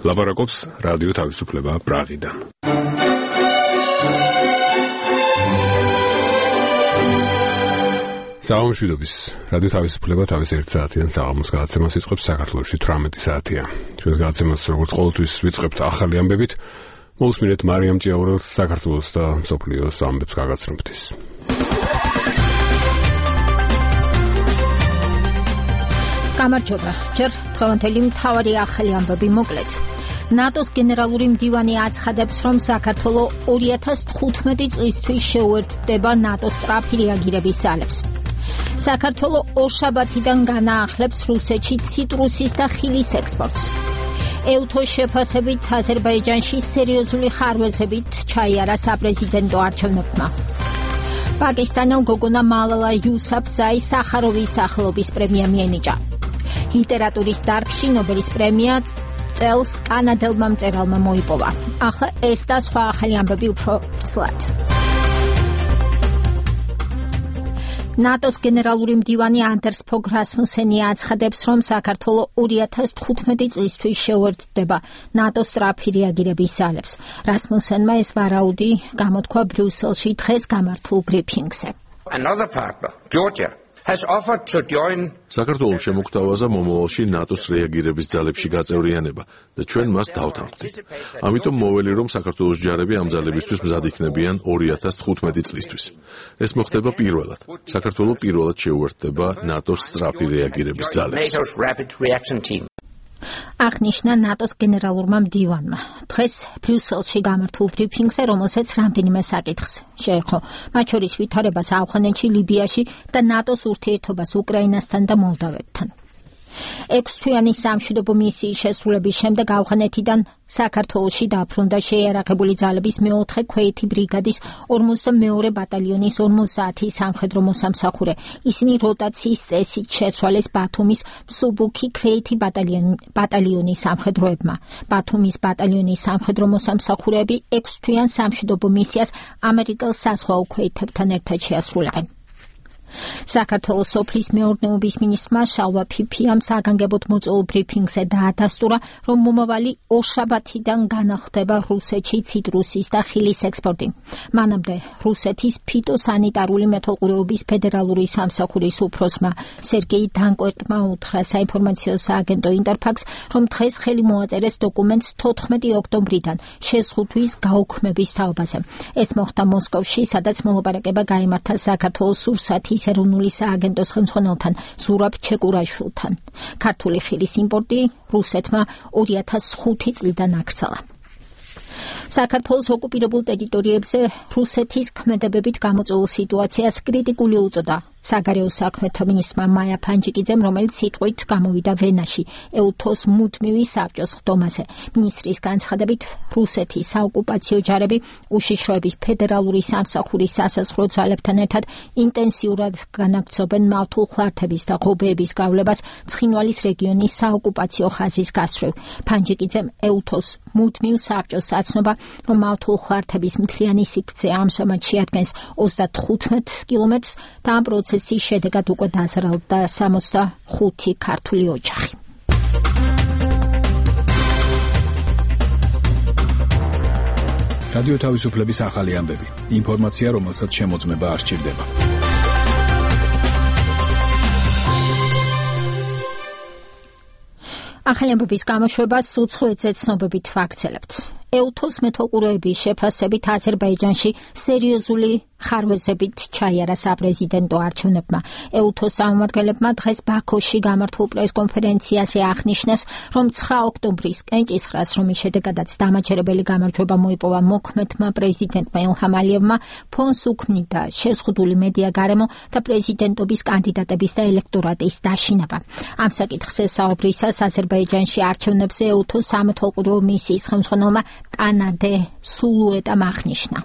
ლაპარაკობს რადიო თავისუფლება პრაღიდან. საამშვიდობის რადიო თავისუფლება თავის 1 საათიან საღამოს გადაცემას იწყებს საქართველოში 18 საათია. ჩვენს გადაცემას როგორც ყოველთვის ვიწყებთ ახალი ამბებით. მოусმინეთ მარიამ ჭიაურელს საქართველოს და მსოფლიოს ამბებს გაგაცნობთის. გამარჯობა. ჯერ დღევანდელი მთავარი ახალი ამბები მოკლედ. ნატოს გენერალური მდივანი აცხადებს, რომ საქართველოს 2015 წლისთვის შეუერთდება ნატოს სწრაფი რეაგირების ძალებს. საქართველოს ორშაბათიდან განაახლებს რუსეთში ციტრუსის და ხილის ექსპორტს. ეუთოს შეფასებით აზერბაიჯანში სერიოზული ხარვეზებით ჩაიარა საპრეზიდენტო არჩევნებმა. პაკისტანელ გოგონა მალალა იუსაფზაი სახაროვის სახელობის პრემია მიენიჭა. ლიტერატურის დარგში ნობელის პრემია წელს კანადელმა მწერალმა მოიპოვა. ახლა ეს და სხვა ახალი ამბები უფრო ცლად. ნატოს გენერალური მდივანი ანდერს ფოგ რასმუსენი აცხადებს, რომ საქართველოს 2015 წლისთვის შეუერთდება ნატოს სწრაფი რეაგირების ძალებს. რასმუსენმა ეს ვარაუდი გამოთქვა ბრიუსელში დღეს გამართულ ბრიფინგზე. Another partner, Georgia, has offered to join. საქართველოს შემოგთავაზა მომავალში ნატოს რეაგირების ძალებში გაწევრიანება და ჩვენ მას დავთანხმდით. ამიტომ მოვლი რომ საქართველოს ჯარები ამ ძალებისთვის მზად იქნებიან 2015 წლისთვის. ეს მოხდება პირველად. საქართველოს პირველად შეუერთდება ნატოს სწრაფი რეაგირების ძალებს. აღნიშნა ნატოს გენერალურმა მდივანმა. დღეს ბრიუსელში გამართულ ბრიფინგზე, რომელსაც რამდენიმე საკითხს შეეხო, მათ შორის ვითარებას ავღანეთში, ლიბიაში და ნატოს ურთიერთობას უკრაინასთან და მოლდავეთთან. 6 თვიანი სამშვიდობო მისიის შესრულების შემდეგ ავღანეთიდან საქართველოში დაბრუნდა შეიარაღებული ძალების მე-4 ქვეითი ბრიგადის 42 ბატალიონის 50 სამხედრო მოსამსახურე. ისინი როტაციის წესით შეცვალეს ბათუმის მსუბუქი ქვეითი ბატალიონის სამხედროებმა. ბათუმის ბატალიონის სამხედრო მოსამსახურეები 6 თვიან სამშვიდობო მისიას ამერიკელ საზღვაო ქვეითებთან ერთად შეასრულებენ. საქართველოს სოფლის მეურნეობის მინისტრმა შალვა ფიფიამ საგანგებოდ მოწვეულ ბრიფინგზე დაადასტურა, რომ მომავალი ორშაბათიდან განახლდება რუსეთში ციტრუსის და ხილის ექსპორტი. მანამდე რუსეთის ფიტოსანიტარული მეთვალყურეობის ფედერალური სამსახურის უფროსმა სერგეი დანკვერტმა უთხრა საინფორმაციო სააგენტო ინტერფაქს, რომ დღეს ხელი მოაწერეს დოკუმენტს 14 ოქტომბრიდან შეზღუდვის გაუქმების თაობაზე. ეს მოხდა მოსკოვში, სადაც მოლაპარაკება გაიმართა საქართველოს სურსათის ეროვნული სააგენტოს ხელმძღვანელთან ზურაბ ჩეკურაშვილთან. ქართული ხილის იმპორტი რუსეთმა 2005 წლიდან აქცალა. საქართველოს ოკუპირებულ ტერიტორიებზე რუსეთის ქმედებებით გამოწვეულ სიტუაციას კრიტიკული უწოდა საგარეო საქმეთა მინისტრმა მაია ფანჯიკიძემ, რომელიც სიტყვით გამოვიდა ვენაში ეუთოს მუდმივი საბჭოს ხდომაზე. მინისტრის განცხადებით, რუსეთის საოკუპაციო ჯარები უშიშროების ფედერალური სამსახურის სასაზღვრო ძალებთან ერთად ინტენსიურად განაგრძობენ მავთულ ხლართების და ღობეების გავლებას ცხინვალის რეგიონის საოკუპაციო ხაზის გასწვრივ. ფანჯიკიძემ ეუთოს მუდმივ საბჭოს აცნობა, რომ მავთულ ხლართების მთლიანი სიგრძე ამჟამად შეადგენს 35 კილომეტრს და ამ პროცესის შედეგად უკვე დაზარალდა 65 ქართული ოჯახი. რადიო თავისუფლების ახალი ამბები. ინფორმაცია, რომელსაც შემოწმება არ სჭირდება. ახალი ამბების გამოშვებას უცხოეთზე ცნობებით ვაგრძელებთ. ეუთოს მეთვალყურეების შეფასებით აზერბაიჯანში სერიოზული ხარვეზებით ჩაიარა საპრეზიდენტო არჩევნებმა. ეუთოს წარმომადგენლებმა დღეს ბაქოში გამართულ პრესკონფერენციაზე აღნიშნეს, რომ 9 ოქტომბრის კენჭისყრას, რომლის შედეგადაც დამაჯერებელი გამარჯვება მოიპოვა მოქმედმა პრეზიდენტმა ილჰამ ალიევმა, ფონს უქმნიდა შეზღუდული მედია გარემო და პრეზიდენტობის კანდიდატების და ელექტორატის დაშინება. ამ საკითხზე საუბრისას აზერბაიჯანში არჩევნებზე ეუთოს სამეთვალყურეო მისიის ხელმძღვანელმა ტანადე სულუეტამ აღნიშნა.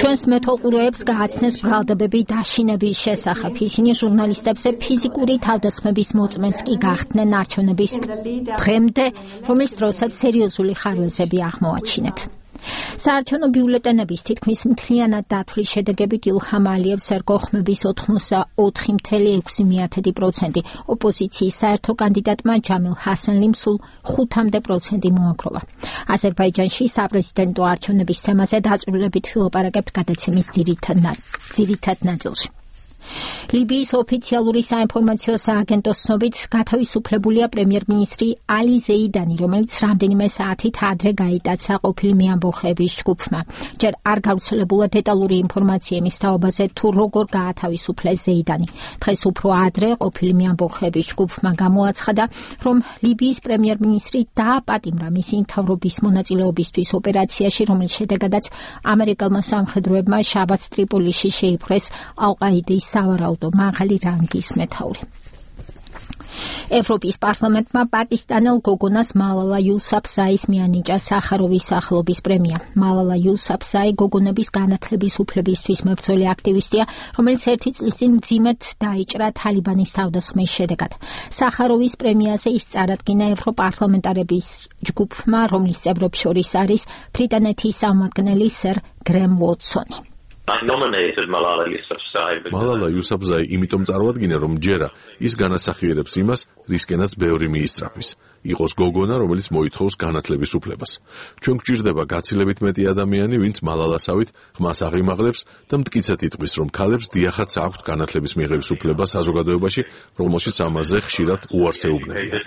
ჩვენს მეთვალყურეებს გააცნეს ბრალდებები დაშინების შესახებ. ისინი ჟურნალისტებზე ფიზიკური თავდასხმების მოწმენს კი გახდნენ არჩევნების დღემდე, რომლის დროსაც სერიოზული ხარვეზები აღმოაჩინეთ. საარჩევნო ბიულეტენების თითქმის მთლიანად დათვლის შედეგებით ილჰამ ალიევს ერგოხმების 84.6%, ოპოზიციის საერთო კანდიდატმა ჯამილ ჰასანლიმ სულ 5% მოაგროვა. აზერბაიჯანში საპრეზიდენტო არჩევნების თემაზე დაწვრილებით ვილაპარაკებთ გადაცემის ძირითად ნაწილში. ლიბიის ოფიციალური საინფორმაციო სააგენტოს ცნობით გათავისუფლებულია პრემიერ-მინისტრი ალი ზეიდანი, რომელიც რამდენიმე საათით ადრე გაიტაცა ყოფილი მეამბოხეების ჯგუფმა. ჯერ არ გავრცელებულა დეტალური ინფორმაცია იმის თაობაზე, თუ როგორ გაათავისუფლეს ზეიდანი. დღეს უფრო ადრე ყოფილი მეამბოხეების ჯგუფმა გამოაცხადა, რომ ლიბიის პრემიერ-მინისტრი დააპატიმრა მისი მთავრობის მონაწილეობისთვის ოპერაციაში, რომლის შედეგადაც ამერიკელმა სამხედროებმა შაბათს ტრიპოლიში შეიპყრეს ალ-ყაიდის სავარაუდო მაღალი რანგის მეთაური. ევროპის პარლამენტმა პაკისტანელ გოგონას მალალა იუსაფზაის მიანიჭა სახაროვის სახელობის პრემია. მალალა იუსაფზაი გოგონების განათლების უფლებისთვის მებრძოლი აქტივისტია, რომელიც 1 წლის წინ მძიმედ დაიჭრა თალიბანის თავდასხმის შედეგად. სახაროვის პრემიაზე ის წარადგინა ევროპარლამენტარების ჯგუფმა, რომლის წევრებს შორის არის ბრიტანეთის წარმომადგენელი სერ გრემ უოტსონი. მალალა იუსაფზაი იმიტომ წარვადგინა, რომ ჯერა ის განასახიერებს იმას, რისკენაც ბევრი მიისწრაფის. იყოს გოგონა, რომელიც მოითხოვს განათლების უფლებას. ჩვენ გვჭირდება გაცილებით მეტი ადამიანი, ვინც მალალასავით ხმას აღიმაღლებს და მტკიცედ იტყვის, რომ ქალებს დიახაც აქვთ განათლების მიღების უფლება საზოგადოებაში, რომელშიც ამაზე ხშირად უარს ეუბნებიან.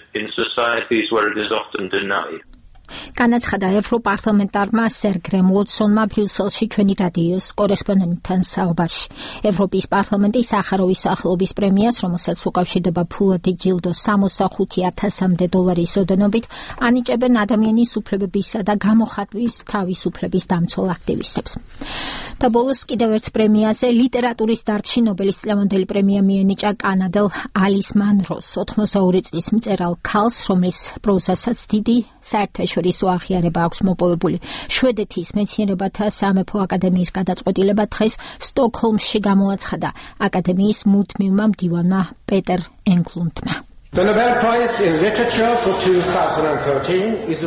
განაცხადა ევროპარლამენტარმა სერ გრემ უოტსონმა ბრიუსელში ჩვენი რადიოს კორესპონდენტთან საუბარში. ევროპის პარლამენტი სახაროვის სახელობის პრემიას, რომელსაც უკავშირდება ფულადი ჯილდო 65,000-მდე დოლარის ოდენობით, ანიჭებენ ადამიანის უფლებებისა და გამოხატვის თავისუფლების დამცველ აქტივისტებს. და ბოლოს კიდევ ერთ პრემიაზე ლიტერატურის დარგში ნობელის წლევანდელი პრემია მიენიჭა კანადელ ალის მანროს, 82 წლის მწერალ ქალს, რომლის პროზასაც დიდი საერთაშორისო აღიარება აქვს მოპოვებული. შვედეთის მეცნიერებათა სამეფო აკადემიის გადაწყვეტილება დღეს სტოკჰოლმში გამოაცხადა აკადემიის მუდმივმა მდივანმა პეტერ ენგლუნდმა.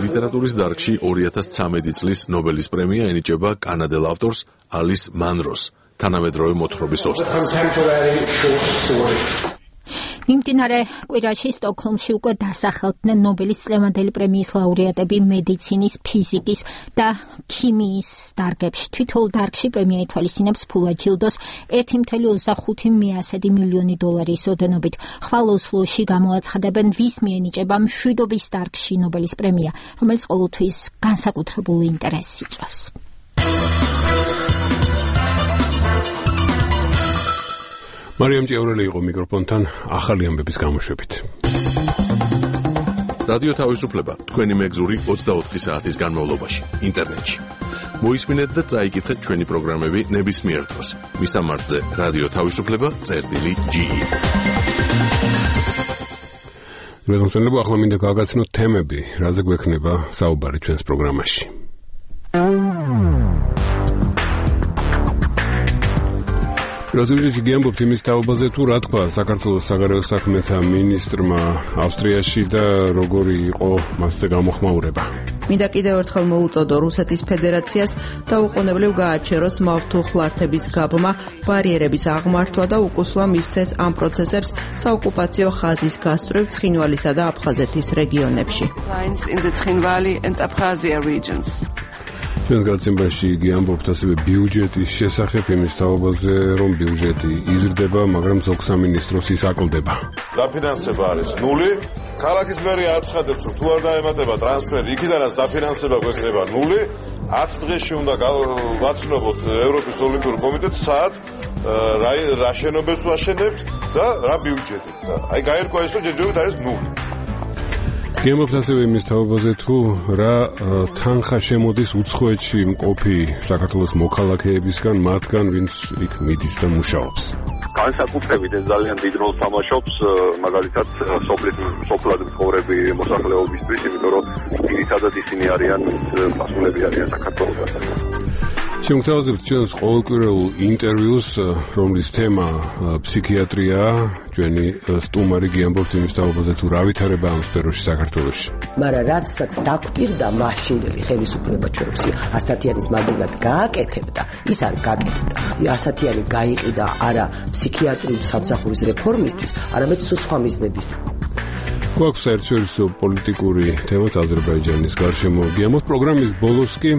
ლიტერატურის დარგში 2013 წლის ნობელის პრემია ენიჭება კანადელ ავტორს ალის მანროს, თანამედროვე მოთხრობის ოსტატს. მიმდინარე კვირაში სტოკჰოლმში უკვე დასახელდნენ ნობელის წლევანდელი პრემიის ლაურეატები მედიცინის, ფიზიკის და ქიმიის დარგებში. თითოეულ დარგში პრემია ითვალისწინებს ფულად ჯილდოს 1,25 მილიონი დოლარის ოდენობით. ხვალ ოსლოში გამოაცხადებენ, ვის მიენიჭება მშვიდობის დარგში ნობელის პრემია, რომელიც ყოველთვის განსაკუთრებულ ინტერესს იწვევს. მარიამ ჭიაურელი იყო მიკროფონთან ახალი ამბების გამოშვებით. რადიო თავისუფლება თქვენი მეგზური 24 საათის განმავლობაში ინტერნეტში. მოისმინეთ და წაიკითხეთ ჩვენი პროგრამები ნებისმიერ დროს. მისამართზე რადიო თავისუფლება.ge. მეგობრებო, ახლა მინდა გავაგაცნოთ თემები, რაზე გვექნება საუბარი ჩვენს პროგრამაში. რაზეჯი გიამბობთ იმის თაობაზე, თუ რა თქვა საქართველოს საგარეო საქმეთა მინისტრმა ავსტრიაში და როგორი იყო მასზე გამოხმაურება. მინდა კიდევ ერთხელ მოუწოდო რუსეთის ფედერაციას დაუყოვნებლივ გააჩეროს მავთუხლართების გაბმა, ბარიერების აღმართვა და უკუსლა მისცეს ამ პროცესებს საოკუპაციო ხაზის გასწვრივ ცხინვალისა და აფხაზეთის რეგიონებში. ჩვენს გადაცემაში გიამბობთ ასევე ბიუჯეტის შესახებ, იმის თაობაზე, რომ ბიუჯეტი იზრდება, მაგრამ ზოგ სამინისტროს ის აკლდება. დაფინანსება არის ნული. ქალაქის მერია აცხადებს, რომ თუ არ დაემატება ტრანსფერი, იქიდანაც დაფინანსება გვექნება ნული. 10 დღეში უნდა ვაცნობოთ ევროპის ოლიმპიურ კომიტეტს, სად რა შენობებს ვაშენებთ და რა ბიუჯეტი. აი გაერკვა ის, რომ ჯერჯერობით არის ნული. გიამბობთ ასევე იმის თაობაზე, თუ რა თანხა შემოდის უცხოეთში მყოფი საქართველოს მოქალაქეებისგან, მათგან, ვინც იქ მიდის და მუშაობს. განსაკუთრებით ეს ძალიან დიდ როლს თამაშობს, მაგალითად, სოფლად მცხოვრები მოსახლეობისთვის, იმიტომ რომ ძირითადად ისინი არიან, მასულები არიან საქართველოსთან. შემოგთავაზებთ ჩვენს ყოველკვირეულ ინტერვიუს, რომლის თემა ფსიქიატრია. ჩვენი სტუმარი გიამბობთ იმის თაობაზე, თუ რა ვითარება ამ სფეროში საქართველოში. მაგრამ რაცაც დაგვპირდა მაშინდელი ხელისუფლება ჩვენს 100-იანის მაგივრად გააკეთებდა, ის არ გაკეთდა. 100-იანი გაიყიდა არა ფსიქიატრიული სამსახურის რეფორმისთვის, არამედ სხვა მიზნებისთვის. გვაქვს საერთაშორისო პოლიტიკური თემაც აზერბაიჯანის გარშემო. გიამბობთ პროგრამის ბოლოს კი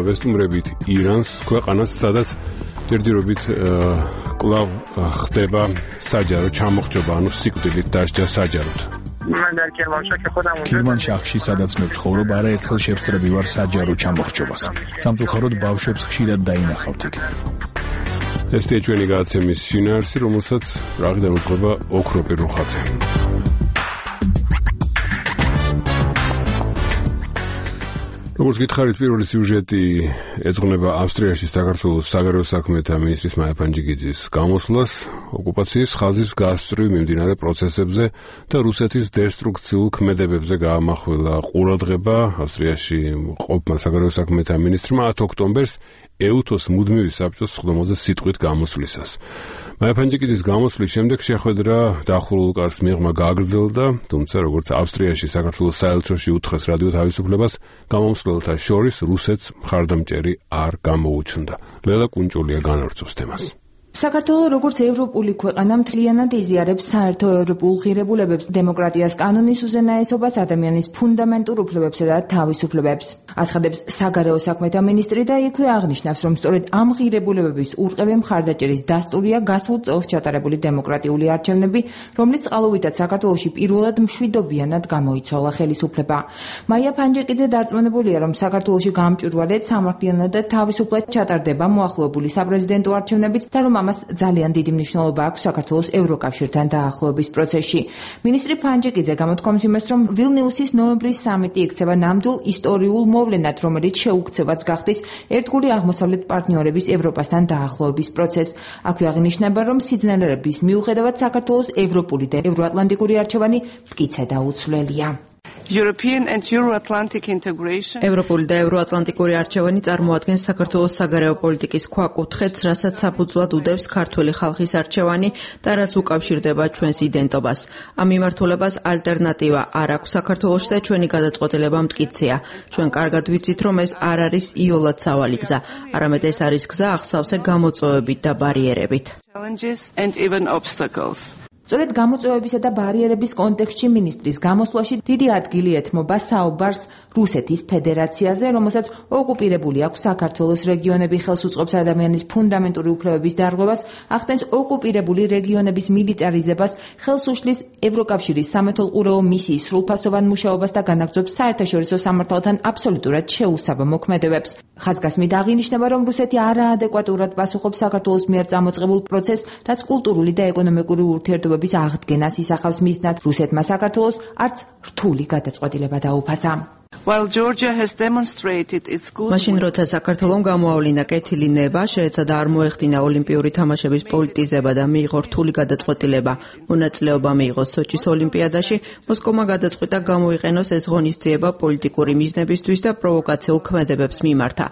ვესტუმრებით ირანს, ქვეყანას, სადაც ჯერჯერობით კვლავ ხდება საჯარო ჩამოხრჩობა, ანუ სიკვდილით დასჯა საჯაროდ. ქირმანშაჰში, სადაც მე ვცხოვრობ, არაერთხელ შევსწრები ვარ საჯარო ჩამოხრჩობას. სამწუხაროდ ბავშვებს ხშირად დაინახავთ იქ. ესეა ჩვენი გადაცემის შინაარსი, რომელსაც პრაღიდან უძღვება ოქრო პირუხაძე. როგორც გითხარით, პირველი სიუჟეტი ეძღვნება ავსტრიაში საქართველოს საგარეო საქმეთა მინისტრის მაია ფანჯიკიძის გამოსვლას, ოკუპაციის ხაზის გასწვრივ მიმდინარე პროცესებზე და რუსეთის დესტრუქციულ ქმედებებზე გაამახვილა ყურადღება ავსტრიაში ყოფმა საგარეო საქმეთა მინისტრმა 10 ოქტომბერს ეუთოს მუდმივი საბჭოს სხდომაზე სიტყვით გამოსვლისას. მაია ფანჯიკიძის გამოსვლის შემდეგ შეხვედრა დახურულ კარს მიღმა გაგრძელდა, თუმცა როგორც ავსტრიაში საქართველოს საელჩოში უთხრეს რადიო თავისუფლებას, გამომსვლელთა შორის რუსეთს მხარდამჭერი არ გამოუჩნდა. ლელა კუნჭულია განავრცობს თემას. საქართველოს როგორც ევროპული ქვეყანა მთლიანად იზიარებს საერთო ევროპულ ღირებულებებს, დემოკრატიას, კანონის უზენაესობას, ადამიანის ფუნდამენტურ უფლებებსა და თავისუფლებებს. აცხადებს საგარეო საქმეთა მინისტრი და იქვე აღნიშნავს, რომ სწორედ ამ ღირებულებების ურყევი მხარდაჭერის დასტურია გასულ წელს ჩატარებული დემოკრატიული არჩევნები, რომლის წყალობითაც საქართველოში პირველად მშვიდობიანად გამოიცვალა ხელისუფლება. მაია ფანჯიკიძე დარწმუნებულია, რომ საქართველოში გამჭვირვალედ, სამართლიანად და თავისუფლად ჩატარდება მოახლოებული საპრეზიდენტო არჩევნებიც და რომ ამას ძალიან დიდი მნიშვნელობა აქვს საქართველოს ევროკავშირთან დაახლოების პროცესში. მინისტრი ფანჯიკიძე გამოთქვამს იმას, რომ ვილნიუსის ნოემბრის სამიტი იქცევა ნამდვილ ისტორიულ მოვლენად, რომელიც შეუქცევაც გახდის ერთგული აღმოსავლეთ პარტნიორების ევროპასთან დაახლოების პროცესს. აქვე აღნიშნება, რომ სიძნელეების მიუხედავად საქართველოს ევროპული და ევროატლანტიკური არჩევანი მტკიცე და უცვლელია. ევროპული და ევროატლანტიკური არჩევანი წარმოადგენს საქართველოს საგარეო პოლიტიკის ქვაკუთხედს, რასაც საფუძვლად უდევს ქართველი ხალხის არჩევანი და რაც უკავშირდება ჩვენს იდენტობას. ამ მიმართულებას ალტერნატივა არ აქვს საქართველოში და ჩვენი გადაწყვეტილება მტკიცეა. ჩვენ კარგად ვიცით, რომ ეს არ არის იოლად სავალი გზა, არამედ ეს არის გზა ახსავსე გამოწვევებით და ბარიერებით. სწორედ გამოწვევებისა და ბარიერების კონტექსტში მინისტრის გამოსვლაში დიდი ადგილი ეთმობა საუბარს რუსეთის ფედერაციაზე, რომელსაც ოკუპირებული აქვს საქართველოს რეგიონები, ხელს უწყობს ადამიანის ფუნდამენტური უფლებების დარღვევას, ახდენს ოკუპირებული რეგიონების მილიტარიზებას, ხელს უშლის ევროკავშირის სამეთვალყურეო მისიის სრულფასოვან მუშაობას და განაგრძობს საერთაშორისო სამართალთან აბსოლუტურად შეუსაბამო მოქმედებებს. ხაზგასმით აღინიშნება, რომ რუსეთი არაადეკვატურად პასუხობს საქართველოს მიერ წამოწყებულ პროცესს, რაც კულტურული და ეკონომიკური ურთიერთობების აღდგენას ისახავს მიზნად. რუსეთმა საქართველოს არც რთული გადაწყვეტილება დაუფასა. მაშინ როცა საქართველომ გამოავლინა კეთილი ნება, შეეცადა არ მოეხდინა ოლიმპიური თამაშების პოლიტიზება და მიიღო რთული გადაწყვეტილება. მონაწილეობა მიიღო სოჩის ოლიმპიადაში, მოსკოვმა გადაწყვიტა გამოიყენოს ეს ღონისძიება პოლიტიკური მიზნებისთვის და პროვოკაციულ ქმედებებს მიმართა.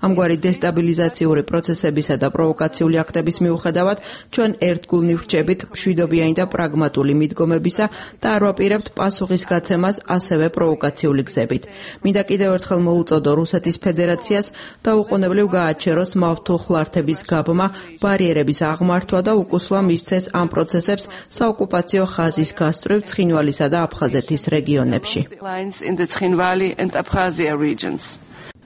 ამგვარი დესტაბილიზაციური პროცესებისა და პროვოკაციული აქტების მიუხედავად, ჩვენ ერთგულნი ვრჩებით მშვიდობიანი და პრაგმატული მიდგომებისა და არ ვაპირებთ პასუხის გაცემას ასევე პროვოკაციული გზებით. მინდა კიდევ ერთხელ მოუწოდო რუსეთის ფედერაციას დაუყოვნებლივ გააჩეროს მავთუხლართების გაბმა, ბარიერების აღმართვა და უკუსლა მისცეს ამ პროცესებს საოკუპაციო ხაზის გასწვრივ ცხინვალისა და აფხაზეთის რეგიონებში.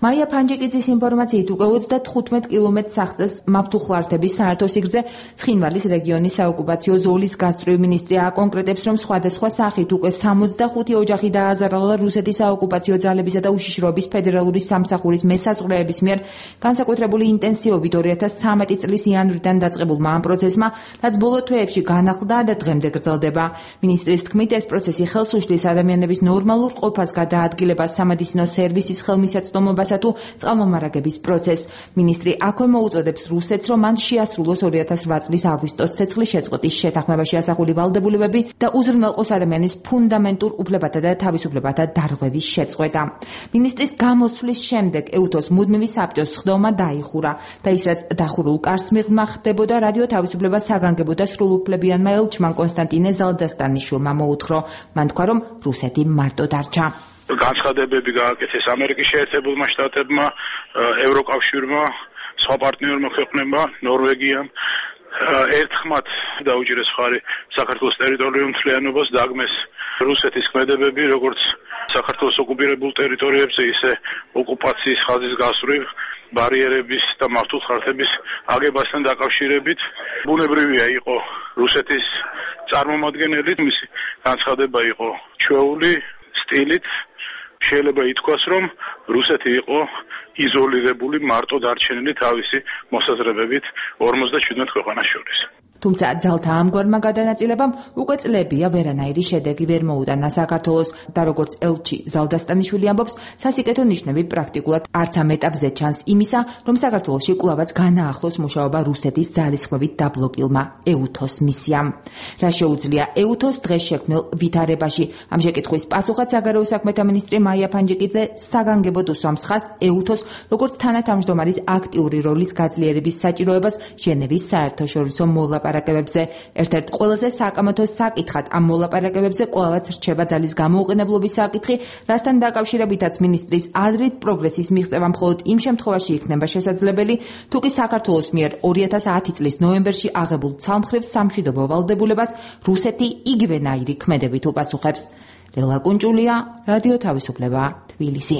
მაია ფანჯიკიძის ინფორმაციით უკვე 35 კილომეტრს აღწევს მავთუხლართების საერთო სიგრძე. ცხინვალის რეგიონის საოკუპაციო ზოლის გასწვრივ მინისტრი აკონკრეტებს, რომ სხვადასხვა სახით უკვე 65 ოჯახი დააზარალა რუსეთის საოკუპაციო ძალებისა და უშიშროების ფედერალური სამსახურის მესაზღვრეების მიერ განსაკუთრებული ინტენსივობით 2013 წლის იანვრიდან დაწყებულმა ამ პროცესმა, რაც ბოლო თვეებში განახლდა და დღემდე გრძელდება. მინისტრის თქმით, ეს პროცესი ხელს უშლის ადამიანების ნორმალურ ყოფას გადაადგილებას, სამედიცინო სერვისის ხელმისაწვდომობასა გადაეცათა თუ წყალმომარაგების პროცესს. მინისტრი აქვე მოუწოდებს რუსეთს, რომ მან შეასრულოს 2008 წლის აგვისტოს ცეცხლის შეწყვეტის შეთანხმებაში ასახული ვალდებულებები და უზრუნველყოს ადამიანის ფუნდამენტურ უფლებათა და თავისუფლებათა დარღვევის შეწყვეტა. მინისტრის გამოსვლის შემდეგ ეუთოს მუდმივი საბჭოს სხდომა დაიხურა და ის რაც დახურულ კარს მიღმა ხდებოდა რადიო თავისუფლება საგანგებო და სრულუფლებიანმა ელჩმა კონსტანტინე ზალდასტანიშვილმა მოუთხრა. მან თქვა, რომ რუსეთი მარტო დარჩა. განცხადებები გააკეთეს ამერიკის შეერთებულმა შტატებმა, ევროკავშირმა, სხვა პარტნიორმა ქვეყნებმა, ნორვეგიამ. ერთხმად დაუჭირეს მხარი საქართველოს ტერიტორიულ მთლიანობას, დაგმეს რუსეთის ქმედებები, როგორც საქართველოს ოკუპირებულ ტერიტორიებზე, ისე ოკუპაციის ხაზის გასწვრივ, ბარიერების და მართლმსაჯულების აგებასთან დაკავშირებით. ბუნებრივია იყო რუსეთის წარმომადგენელი, მისი განცხადება იყო ჩვეული სტილით. შეიძლება ითქვას, რომ რუსეთი იყო იზოლირებული, მარტო დარჩენილი თავისი მოსაზრებებით 57 ქვეყანას შორის. თუმცა ძალთა ამგვარმა გადანაწილებამ უკვე წლებია ვერანაირი შედეგი ვერ მოუტანა საქართველოს და როგორც ელჩი ზალდასტანიშვილი ამბობს, სასიკეთო ნიშნები პრაქტიკულად არც ამ ეტაპზე ჩანს იმისა, რომ საქართველოში კვლავაც განაახლოს მუშაობა რუსეთის ძალისხმევით დაბლოკილმა ეუთოს მისიამ. რა შეუძლია ეუთოს დღეს შექმნილ ვითარებაში? ამ შეკითხვის პასუხად საგარეო საქმეთა მინისტრი მაია ფანჯიკიძე საგანგებოდ უსვამს ხაზს ეუთოს როგორც თანათავმჯდომარის აქტიური როლის გაძლიერების საჭიროებას ჟენევის საერთაშორისო მოლაპარაკებებზე. ერთ-ერთ ყველაზე საკამათო საკითხად ამ მოლაპარაკებებზე კვლავაც რჩება ძალის გამოუყენებლობის საკითხი, რასთან დაკავშირებითაც მინისტრის აზრით პროგრესის მიღწევა მხოლოდ იმ შემთხვევაში იქნება შესაძლებელი, თუ კი საქართველოს მიერ 2010 წლის ნოემბერში აღებულ ცალმხრივ სამშვიდობო ვალდებულებას რუსეთი იგივენაირი ქმედებით უპასუხებს. ლელა კუნჭულია, რადიო თავისუფლება, თბილისი.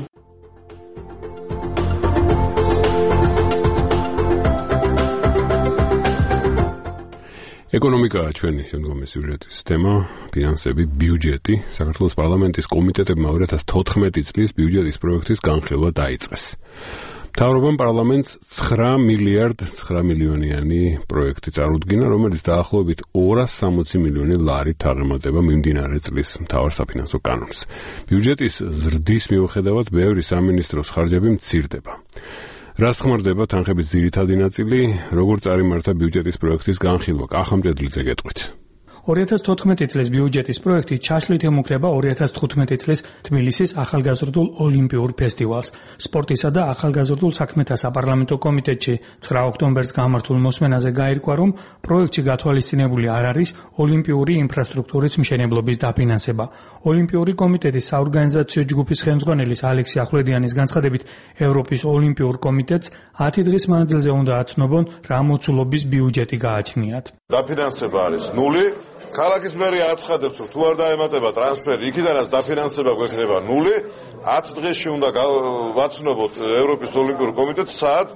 ეკონომიკაა ჩვენი შემდგომი სიუჟეტის თემა, ფინანსები, ბიუჯეტი. საქართველოს პარლამენტის კომიტეტებმა 2014 წლის ბიუჯეტის პროექტის განხილვა დაიწყეს. მთავრობამ პარლამენტს 9 მილიონიანი პროექტი წარუდგინა, რომელიც დაახლოებით 260 მილიონი ლარით აღემატება მიმდინარე წლის მთავარ საფინანსო კანონს. ბიუჯეტის ზრდის მიუხედავად ბევრი სამინისტროს ხარჯები მცირდება. რას ხმარდება თანხების ძირითადი ნაწილი, როგორ წარიმართა ბიუჯეტის პროექტის განხილვა? კახამჭედლიძე გეტყვით. 2014 წლის ბიუჯეტის პროექტი ჩაშლით ემუქრება 2015 წლის თბილისის ახალგაზრდულ ოლიმპიურ ფესტივალს. სპორტისა და ახალგაზრდულ საქმეთა საპარლამენტო კომიტეტში 9 ოქტომბერს გამართულ მოსმენაზე გაირკვა, რომ პროექტში გათვალისწინებული არ არის ოლიმპიური ინფრასტრუქტურის მშენებლობის დაფინანსება. ოლიმპიური კომიტეტის საორგანიზაციო ჯგუფის ხელმძღვანელის ალექსი ახვლედიანის განცხადებით, ევროპის ოლიმპიურ კომიტეტს 10 დღის მანძილზე უნდა აცნობონ რა მოცულობის ბიუჯეტი გააჩნიათ. დაფინანსება არის 0. ქალაქის მერია აცხადებს, რომ თუ არ დაემატება ტრანსფერი, იქიდანაც დაფინანსება გვექნება 0. 10 დღეში უნდა ვაცნობოთ ევროპის ოლიმპიურ კომიტეტს, სად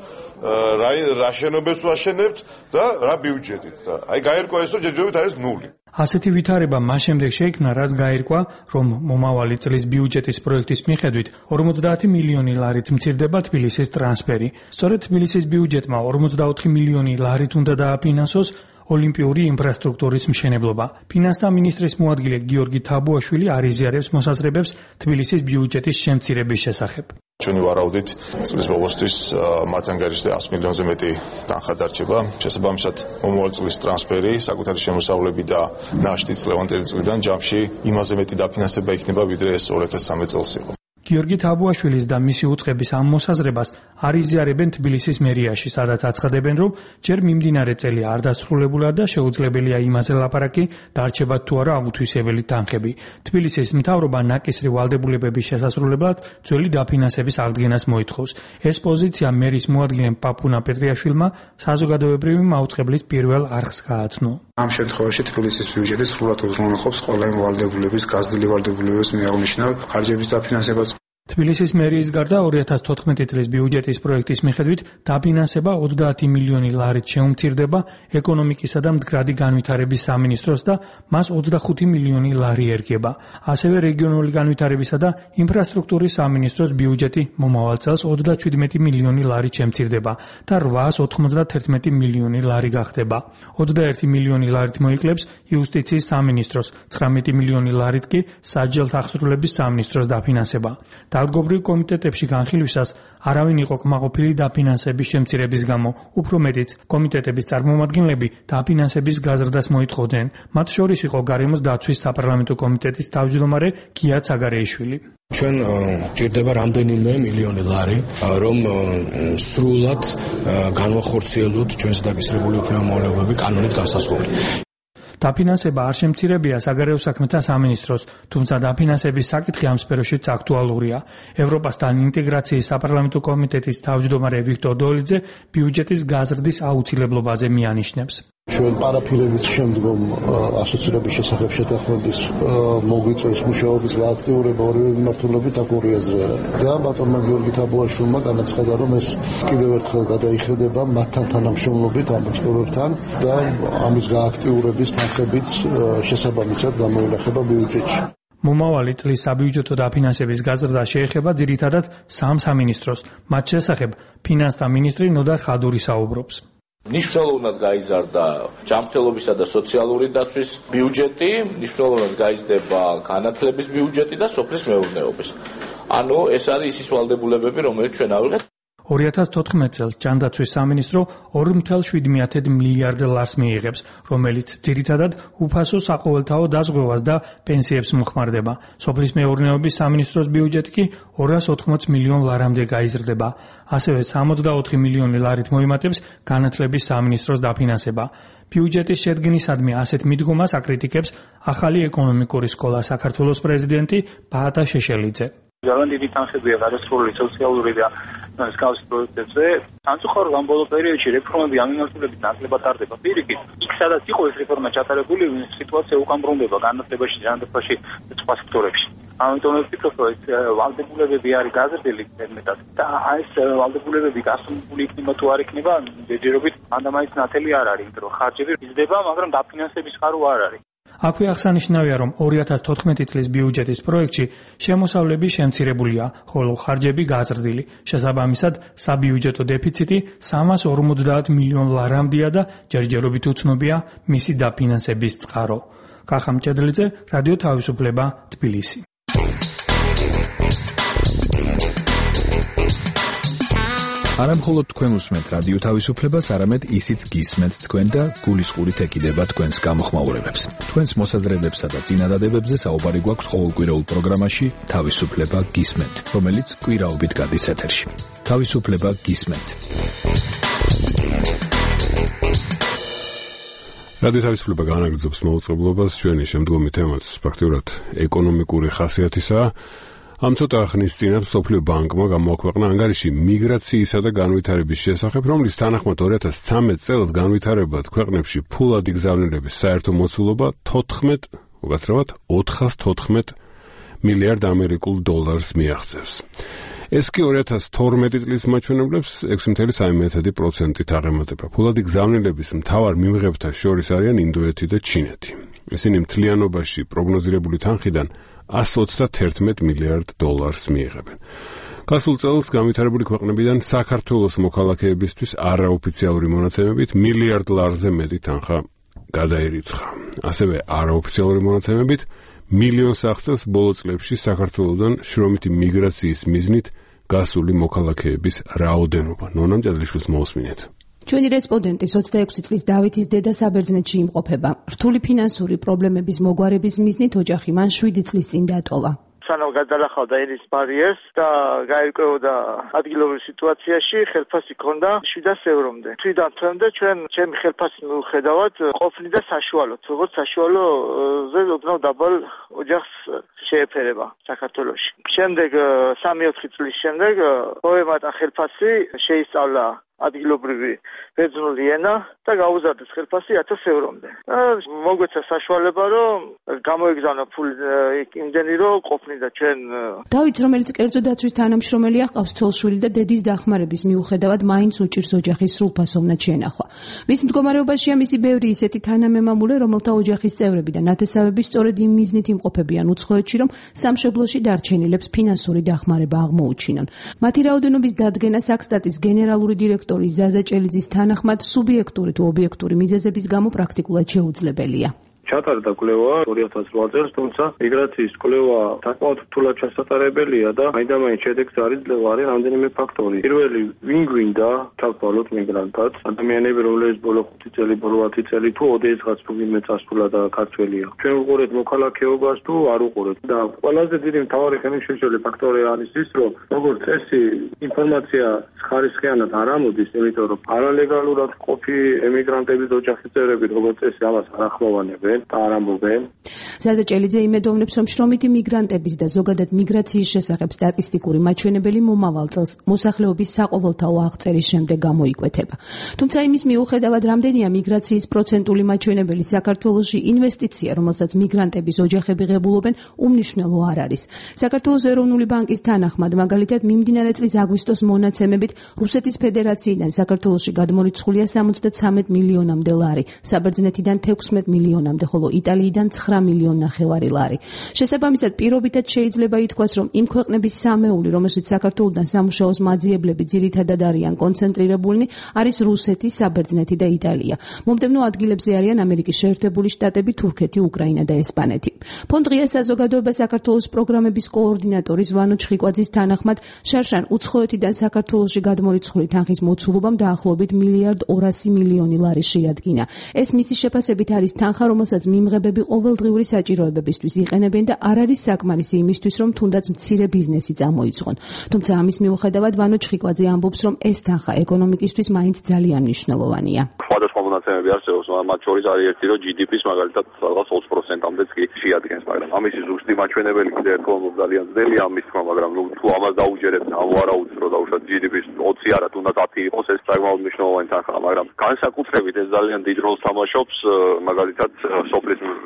რა შენობებს ვაშენებთ და რა ბიუჯეტით. და აი გაირკვა ეს, რომ ჯერჯერობით არის 0. ასეთი ვითარება მას შემდეგ შეიქმნა, რაც გაირკვა, რომ მომავალი წლის ბიუჯეტის პროექტის მიხედვით 50 მილიონი ლარით მცირდება თბილისის ტრანსფერი. სწორედ თბილისის ბიუჯეტმა 44 მილიონი ლარით უნდა დააფინანსოს ოლიმპიური ინფრასტრუქტურის მშენებლობა. ფინანსთა მინისტრის მოადგილე გიორგი თაბუაშვილი არიზიარებს მოსაზრებებს თბილისის ბიუჯეტის შემცირების შესახებ. ჩვენი ვარაუდით წლის ბოლოსთვის მათ ანგარიშზე 100 მილიონზე მეტი თანხა დარჩება. შესაბამისად, მომავალ წლის ტრანსფერი, საკუთარი შემოსავლები და ნაშთიც ლევანტელი წლიდან ჯამში იმაზე მეტი დაფინანსება იქნება, ვიდრე ეს 2013 წელს იყო. გიორგი თაბუაშვილის და მისი უწყების ამ მოსაზრებას არიზიარებენ თბილისის მერიაში, სადაც აცხადებენ, რომ ჯერ მიმდინარე წელი არ დასრულებულა და შეუძლებელია იმაზე ლაპარაკი, დარჩებათ თუ არა აუთვისებელი თანხები. თბილისის მთავრობა ნაკისრი ვალდებულებების შესასრულებლად ძველი დაფინანსების აღდგენას მოითხოვს. ეს პოზიცია მერის მოადგილემ პაპუნა პეტრიაშვილმა საზოგადოებრივი მაუწყებლის პირველ არხს გააცნო. ამ შემთხვევაში თბილისის ბიუჯეტი სრულად უზრუნველყოფს ყველა იმ ვალდებულების, გაზრდილი ვალდებულების მიაღნიშნავ ხარჯების დაფინანსებას. თბილისის მერიის გარდა 2014 წლის ბიუჯეტის პროექტის მიხედვით დაფინანსება 30 მილიონი ლარით შეუმცირდება ეკონომიკისა და მდგრადი განვითარების სამინისტროს და მას 25 მილიონი ლარი ერგება. ასევე რეგიონული განვითარებისა და ინფრასტრუქტურის სამინისტროს ბიუჯეტი მომავალ წელს 37 მილიონი ლარით შემცირდება და 891 მილიონი ლარი გახდება. 21 მილიონი ლარით მოიკლებს იუსტიციის სამინისტროს, 19 მილიონი ლარით კი სასჯელთა აღსრულების სამინისტროს დაფინანსება. საგრიგობრიო კომიტეტებში განხილვისას არავინ იყო კმაყოფილი დაფინანსების შემცირების გამო, უფრო მეტიც კომიტეტების წარმომადგენლები დაფინანსების გაზრდას მოითხოვდნენ. მათ შორის იყო გარემოს დაცვის საპარლამენტო კომიტეტის თავმჯდომარე გია ცაგარეიშვილი. ჩვენ ჭირდება რამდენიმე მილიონი ლარი, რომ სრულად განვახორციელოთ ჩვენს დაგისრებული უფლებამოვალეობები კანონით განსაზღვრული. დაფინანსება არ შემცირებია საგარეო საქმეთა სამინისტროს, თუმცა დაფინანსების საკითხი ამ სფეროშიც აქტუალურია. ევროპასთან ინტეგრაციის საპარლამენტო კომიტეტის თავმჯდომარე ვიქტორ დოლიძე ბიუჯეტის გაზრდის აუცილებლობაზე მიანიშნებს. ჩვენ პარაფილების შემდგომ ასოცირების შესახებ შეთანხმების მოგვიწევს მუშაობის აქტიურობა ორივე მიმართულებით აკური აზრი არა. და ბატონმა გიორგი თაბოაშვილმა განაცხადა, რომ ეს კიდევ ერთხელ გადაიხედება მათთან თანამშრომლობით ამ ექსპერტებთან და ამის გააქტიურების თანხებიც შესაბამისად გამოინახება ბიუჯეტში. მომავალი წლის საბიუჯეტო დაფინანსების გაზრდა შეეხება ძირითადად სამ სამინისტროს. მათ შესახებ ფინანსთა მინისტრი ნოდარ ხადური საუბრობს. ნიშნულოვნად გაიზარდა ჯანმრთელობისა და სოციალური დაცვის ბიუჯეტი, ნიშნულოვნად გაიზრდება განათლების ბიუჯეტი და სოფლის მეურნეობის. ანუ ეს არის ის ვალდებულებები, რომელიც ჩვენ ავიღეთ. 2014 წელს ჯანდაცვის სამინისტრო 2.7 მილიარდ ლარს მიიღებს, რომელიც ძირითადად უფასო საყოველთაო დაზღვევას და პენსიებს მოხმარდება. სოფლის მეურნეობის სამინისტროს ბიუჯეტი კი 280 მილიონ ლარამდე გაიზრდება. ასევე 64 მილიონი ლარით მოიმატებს განათლების სამინისტროს დაფინანსება. ბიუჯეტის შედგენისადმი ასეთ მიდგომას აკრიტიკებს ახალი ეკონომიკური სკოლა საქართველოს პრეზიდენტი ბაატა შეშელიძე. ძალიან დიდი თანხებია გადასროლილი სოციალური და მსგავსი პროექტებზე. სამწუხაროდ ამ ბოლო პერიოდში რეფორმები ამ მიმართულებით ნაკლებად ტარდება. პირიქით, იქ სადაც იყო ეს რეფორმა ჩატარებული, სიტუაცია უკან ბრუნდება განათლებაში, ჯანდაცვაში და სხვა სექტორებში. ამიტომ ვფიქრობ, რომ ეს ვალდებულებები არის გაზრდილი მეტად და ეს ვალდებულებები გასული იქნება თუ არ იქნება, ჯერჯერობით ანდამაის ნათელი არ არის, იმიტომ რომ ხარჯები იზრდება, მაგრამ დაფინანსების ხარო არ არის. აქვე აღსანიშნავია, რომ 2014 წლის ბიუჯეტის პროექტში შემოსავლები შემცირებულია, ხოლო ხარჯები გაზრდილი. შესაბამისად, საბიუჯეტო დეფიციტი 350 მილიონ ლარამდეა და ჯერჯერობით უცნობია მისი დაფინანსების წყარო. კახა მჭედლიძე, რადიო თავისუფლება, თბილისი. არა მხოლოდ თქვენ უსმენთ რადიო თავისუფლებას, არამედ ისიც გისმენთ თქვენ და გულისყურით ეკიდება თქვენს გამოხმაურებებს. თქვენს მოსაზრებებსა და წინადადებებზე საუბარი გვაქვს ყოველკვირეულ პროგრამაში თავისუფლება გისმენთ, რომელიც კვირაობით გადის ეთერში. თავისუფლება გისმენთ. რადიო თავისუფლება განაგრძობს მოუწყებლობას, ჩვენი შემდგომი თემაც ფაქტიურად ეკონომიკური ხასიათისაა. ამ ცოტა ხნის წინათ მსოფლიო ბანკმა გამოაქვეყნა ანგარიში მიგრაციისა და განვითარების შესახებ, რომლის თანახმად 2013 წელს განვითარებად ქვეყნებში ფულადი გზავნილების საერთო მოცულობა 414 მილიარდ ამერიკულ დოლარს მიაღწევს. ეს კი 2012 წლის მაჩვენებლებს 6.1%-ით აღემატება. ფულადი გზავნილების მთავარ მიმღებთა შორის არიან ინდოეთი და ჩინეთი. ისინი მთლიანობაში პროგნოზირებული თანხიდან 121 მილიარდ დოლარს მიიღებენ. გასულ წელს განვითარებული ქვეყნებიდან საქართველოს მოქალაქეებისთვის არაოფიციალური მონაცემებით მილიარდ ლარზე მეტი თანხა გადაირიცხა. ასევე არაოფიციალური მონაცემებით მილიონს აღწევს ბოლო წლებში საქართველოსდან შრომითი მიგრაციის მიზნით გასული მოქალაქეების რაოდენობა. ნონა მჭედლიშვილს მოусმინეთ. ჩვენი რესპონდენტი 26 წლის დავითის დედა საბერძნეთში იმყოფება. რთული ფინანსური პრობლემების მოგვარების მიზნით ოჯახი მან 7 წლის წინ დატოვა. სანამ გადალახავდა ენის ბარიერს და გაერკვეოდა ადგილობრივ სიტუაციაში, ხელფასი ქონდა 700 ევრომდე. თვიდან თვემდე ჩემი ხელფასის მიუხედავად ყოფნიდა საშუალოდ, როგორც საშუალოზე ოდნავ დაბალ ოჯახს შეეფერება საქართველოში. შემდეგ 3-4 წლის შემდეგ მოემატა ხელფასი, შეისწავლა ადგილობრივი ბერძნული ენა და გაუზარდეს ხელფასი 1000 ევრომდე. მოგვეცა საშუალება, რომ გამოიგზავნა ფული იმდენი, რომ ყოფნიდა ჩვენ. დავით, რომელიც კერძო დაცვის თანამშრომელია, ჰყავს ცოლ-შვილი და დედის დახმარების მიუხედავად მაინც უჭირს ოჯახის სრულფასოვნად შენახვა. მის მდგომარეობაშია მისი ბევრი ისეთი თანამემამულე, რომელთა ოჯახის წევრები და ნათესავები სწორედ იმ მიზნით იმყოფებიან უცხოეთში, რომ სამშობლოში დარჩენილებს ფინანსური დახმარება აღმოუჩინონ. მათი რაოდენობის დადგენა საქსტატის გენერალური დირექტორი ზაზა ჭელიძის თანახმად სუბიექტური თუ ობიექტური მიზეზების გამო პრაქტიკულად შეუძლებელია. ჩატარდა კვლევა 2008 წელს, თუმცა მიგრაციის კვლევა საკმაოდ რთულად ჩასატარებელია და მაინდა-მაინც შედეგს არ იძლევა, არის რამდენიმე ფაქტორი. პირველი, ვინ გვინდა ჩავთვალოთ მიგრანტად, ადამიანები, რომლებიც ბოლო 5 წელი, ბოლო 10 წელი თუ ოდესღაც ვინმე წასულა და ქართველია. ჩვენ ვუყურეთ მოქალაქეობას თუ არ ვუყურეთ და ყველაზე დიდი მთავარი ხელმისაწვდომი ფაქტორი არის ის, რომ როგორც წესი ინფორმაცია ხარისხიანად არ ამოდის, იმიტომ რომ არალეგალურად ყოფი ემიგრანტების ოჯახის წევრები როგორც წესი ამას არ ახმოვანებენ და არ ამბობენ. ზაზა ჭელიძე იმედოვნებს, რომ შრომითი მიგრანტების და ზოგადად მიგრაციის შესახებ სტატისტიკური მაჩვენებელი მომავალ წელს მოსახლეობის საყოველთაო აღწერის შემდეგ გამოიკვეთება. თუმცა იმის მიუხედავად, რამდენია მიგრაციის პროცენტული მაჩვენებელი საქართველოში, ინვესტიცია, რომელსაც მიგრანტების ოჯახები ღებულობენ, უმნიშვნელო არ არის. საქართველოს ეროვნული ბანკის თანახმად, მაგალითად, მიმდინარე წლის აგვისტოს მონაცემებით, რუსეთის ფედერაციიდან საქართველოში გადმორიცხულია 73 მილიონამდე ლარი, საბერძნეთიდან 16 მილიონამდე, ხოლო იტალიიდან 9 მილიონ ნახევარი ლარი. შესაბამისად, პირობითად შეიძლება ითქვას, რომ იმ ქვეყნების სამეული, რომელშიც საქართველოდან სამუშაოს მაძიებლები ძირითადად არიან კონცენტრირებულნი, არის რუსეთი, საბერძნეთი და იტალია. მომდევნო ადგილებზე არიან ამერიკის შეერთებული შტატები, თურქეთი, უკრაინა და ესპანეთი. ფონდ ღია საზოგადოება საქართველოს პროგრამების კოორდინატორის ვანო ჩხიკვაძის თანახმად, შარშან უცხოეთიდან საქართველოში გადმორიცხული თანხის მოცულობამ დაახლოებით 1,2 მილიონი ლარი შეადგინა. ეს მისი შეფასებით არის თანხა, რომელსაც მიმღებები ყოველდღიური საჭიროებებისთვის იყენებენ და არ არის საკმარისი იმისთვის, რომ თუნდაც მცირე ბიზნესი წამოიწყონ. თუმცა ამის მიუხედავად, ვანო ჩხიკვაძე ამბობს, რომ ეს თანხა ეკონომიკისთვის მაინც ძალიან მნიშვნელოვანია. სხვადასხვა მონაცემები არსებობს, მათ შორის არის ერთი, რომ GDP-ს მაგალითად რაღაც 20%-ამდეც კი შეადგენს, მაგრამ ამისი ზუსტი მაჩვენებელი კიდევ ერთხელ ძალიან ძნელია ამის თქმა, მაგრამ თუ ამას დაუჯერებთ, ამ ვარაუდს, რომ დაუშვათ GDP-ს 20 არა, თუნდაც 10 იყოს, ეს საკმაოდ მნიშვნელოვანი თანხაა, მაგრამ განსაკუთრებით ეს ძალიან დიდ როლს თამაშობს მაგალითად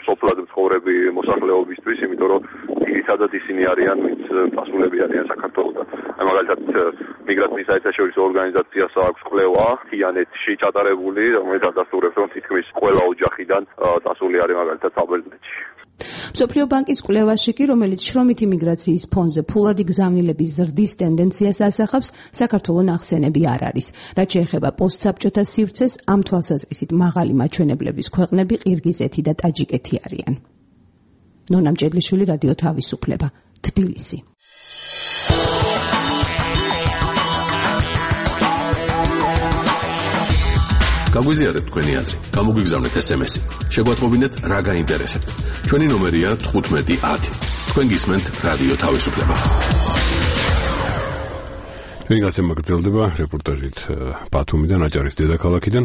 სოფლად მცხოვრები მოსახლეობისთვის, იმიტომ რომ ძირითადად ისინი არიან, ვინც დასულები არიან საქართველოდან. მაგალითად მიგრაციის საერთაშორისო ორგანიზაციას აქვს კვლევა თიანეთში ჩატარებული, რომელიც ადასტურებს, რომ თითქმის ყველა ოჯახიდან დასული არის მაგალითად საბერძნეთში. მსოფლიო ბანკის კვლევაში კი, რომელიც შრომითი მიგრაციის ფონზე ფულადი გზავნილების ზრდის ტენდენციას ასახავს, საქართველოს ნახსენები არ არის. რაც შეეხება პოსტსაბჭოთა სივრცეს, ამ თვალსაზრისით მაღალი მაჩვენებლების ქვეყნები ყირგიზეთი და ტაჯიკეთი არიან. ნონა მჭედლიშვილი, რადიო თავისუფლება, თბილისი. გაგვიზიარეთ თქვენი აზრი, გამოგვიგზავნეთ SMS-ი. შეგვატყობინეთ რა გაინტერესებთ. ჩვენი ნომერია 1510. თქვენ გისმენთ რადიო თავისუფლება. ჩვენი გაცემა გრძელდება რეპორტაჟით ბათუმიდან, აჭარის დედაქალაქიდან.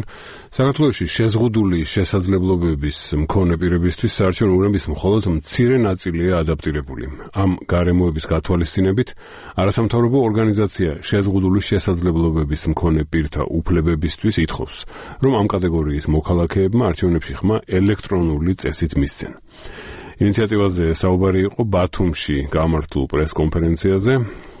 საქართველოში შეზღუდული შესაძლებლობების მქონე პირებისთვის საარჩევნო ურნების მხოლოდ მცირე ნაწილია ადაპტირებული. ამ გარემოების გათვალისწინებით არასამთავრობო ორგანიზაცია შეზღუდული შესაძლებლობების მქონე პირთა უფლებებისთვის ითხოვს, რომ ამ კატეგორიის მოქალაქეებმა არჩევნებში ხმა ელექტრონული წესით მისცენ. ინიციატივაზე საუბარი იყო ბათუმში გამართულ პრესკონფერენციაზე,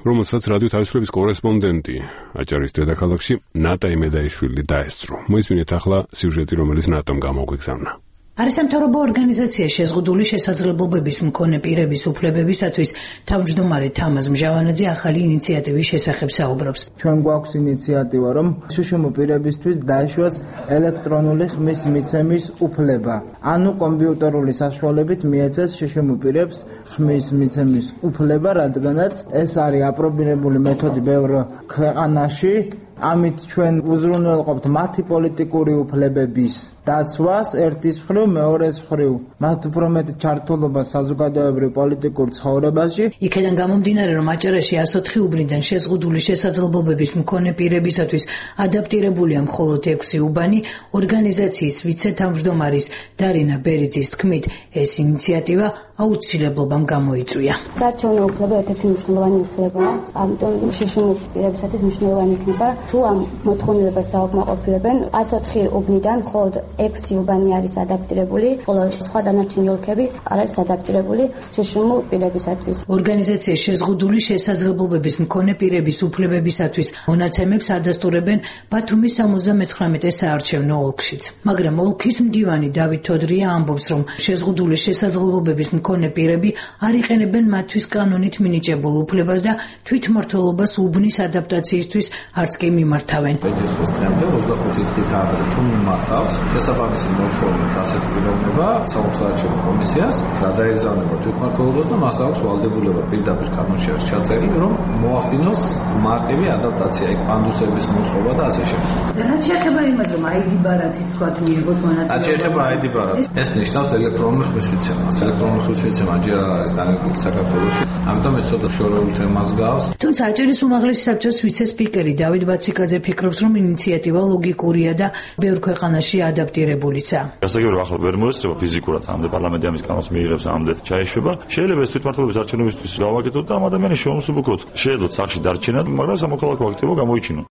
რომელსაც რადიო თავისუფლების კორესპონდენტი აჭარის დედაქალაქში ნატა იმედაიშვილი დაესწრო. მოისმინეთ ახლა სიუჟეტი, რომელიც ნატამ გამოგვიგზავნა. არასამთავრობო ორგანიზაცია შეზღუდული შესაძლებლობების მქონე პირების უფლებებისათვის თავმჯდომარე თამაზ მჟავანაძე ახალი ინიციატივის შესახებ საუბრობს. ჩვენ გვაქვს ინიციატივა, რომ შშმ პირებისთვის დაეშვას ელექტრონული ხმის მიცემის უფლება. ანუ კომპიუტერული საშუალებით მიეცეს შშმ პირებს ხმის მიცემის უფლება, რადგანაც ეს არის აპრობირებული მეთოდი ბევრ ქვეყანაში. ამით ჩვენ უზრუნველყოფთ მათი პოლიტიკური უფლებების დაცვას ერთის მხრივ, მეორეს მხრივ მათ უფრო მეტ ჩართულობას საზოგადოებრივ პოლიტიკურ ცხოვრებაში. იქედან გამომდინარე, რომ აჭარაში 104 უბნიდან შეზღუდული შესაძლებლობების მქონე პირებისათვის ადაპტირებულია მხოლოდ 6 უბანი, ორგანიზაციის ვიცე-თავმჯდომარის დარინა ბერიძის თქმით, ეს ინიციატივა აუცილებლობამ გამოიწვია. საარჩევნო უფლება ერთ-ერთი მნიშვნელოვანი უფლებაა, ამიტომ შშმ პირებისათვის მნიშვნელოვანი იქნება, თუ ამ მოთხოვნილებას დაუკმაყოფილებენ. 104 უბნიდან მხოლოდ 6 უბანი არის ადაპტირებული, ხოლო სხვა დანარჩენი ოლქები არ არის ადაპტირებული შშმ პირებისათვის. ორგანიზაციის შეზღუდული შესაძლებლობების მქონე პირების უფლებებისათვის მონაცემებს ადასტურებენ ბათუმის 79 საარჩევნო ოლქშიც. მაგრამ ოლქის მდივანი დავით თოდრია ამბობს, რომ შეზღუდული შესაძლებლობების მქონე პირები არ იყენებენ მათთვის კანონით მინიჭებულ უფლებას და თვითმმართველობას უბნის ადაპტაციისთვის არც კი მიმართავენ. Ეს დღემდე 25 დღით ადრე თუ მიმართავს შესაბამისი მოთხოვნით ასეთი პიროვნება საოცრაჩემ კომისიას გადაეზავნება თვითმმართველობას და მას აქვს ვალდებულება პირდაპირ კანონში არის ჩაწერილი რომ მოახდინოს მარტივი ადაპტაცია ეგ პანდუსების მოწყობა და ასე შემდეგ. რაც შეეხება იმას რომ ID ბარათი თქვა მიიღოს მონაწილეობა. რაც შეეხება ID ბარათს ეს ნიშნავს ელექტრონული ხმისმიცემას. ელექტრონული ხმისმიცემა ჯერ არ არის დანერგილი საქართველოში. ამიტომ ეს ცოტა შორეულ თემას გავს. თუმცა აჭარის უმაღლესი საბჭოს ვიცე-სპიკერი დავით ბაციკაძე ფიქრობს რომ ინიციატივა ლოგიკურია და ბევრ ქვეყანაში ადაპტირებულიცაა. გასაგებია რომ ახლა ვერ მოესწრება ფიზიკურად ამდე პარლამენტი ამის კანონს მიიღებს ამდე ჩაეშვება. შეიძლება ეს თვითმმართველობის არჩევნებისთვის გავაკეთოთ და ამ ადამიანის შეუმსუბუქოთ. შეედოთ სახში დარჩენა, მაგრამ სამოქალაქო აქტივობა გამოიჩინოთ.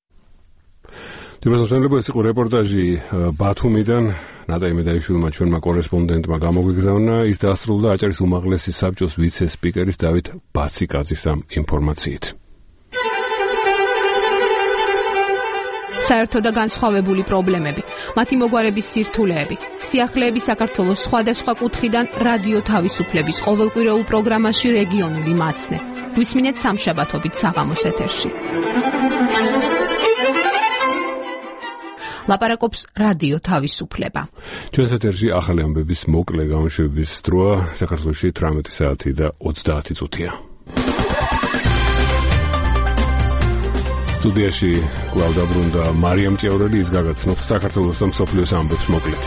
დიმასწრებელს იყო რეპორტაჟი ბათუმიდან ნატაი მედაიშვილმა ჩვენმა კორესპონდენტმა გამოგვიგზავნა ის დასრულდა აჭარის უმაღლესი საბჭოს ვიცე-სპიკერის დავით ბაციკაძის ამ ინფორმაციით. საერთო და განსხვავებული პრობლემები, მათი მოგვარების სირთულეები, სიახლეები საქართველოს სხვადასხვა კუთხიდან რადიო თავისუფლების ყოველკვირეულ პროგრამაში რეგიონული მაცნე. გვისმინეთ სამშაბათობით საღამოს ეთერში. ლაპარაკობს რადიო თავისუფლება. ჩვენს ეთერში ახალი ამბების მოკლე გამოშვების დროა საქართველოში 18 საათი და 30 წუთია. სტუდიაში კვლავ დაბრუნდა მარიამ ჭიაურელი, ის გაგაცნობს საქართველოს და მსოფლიოს ამბებს მოკლედ.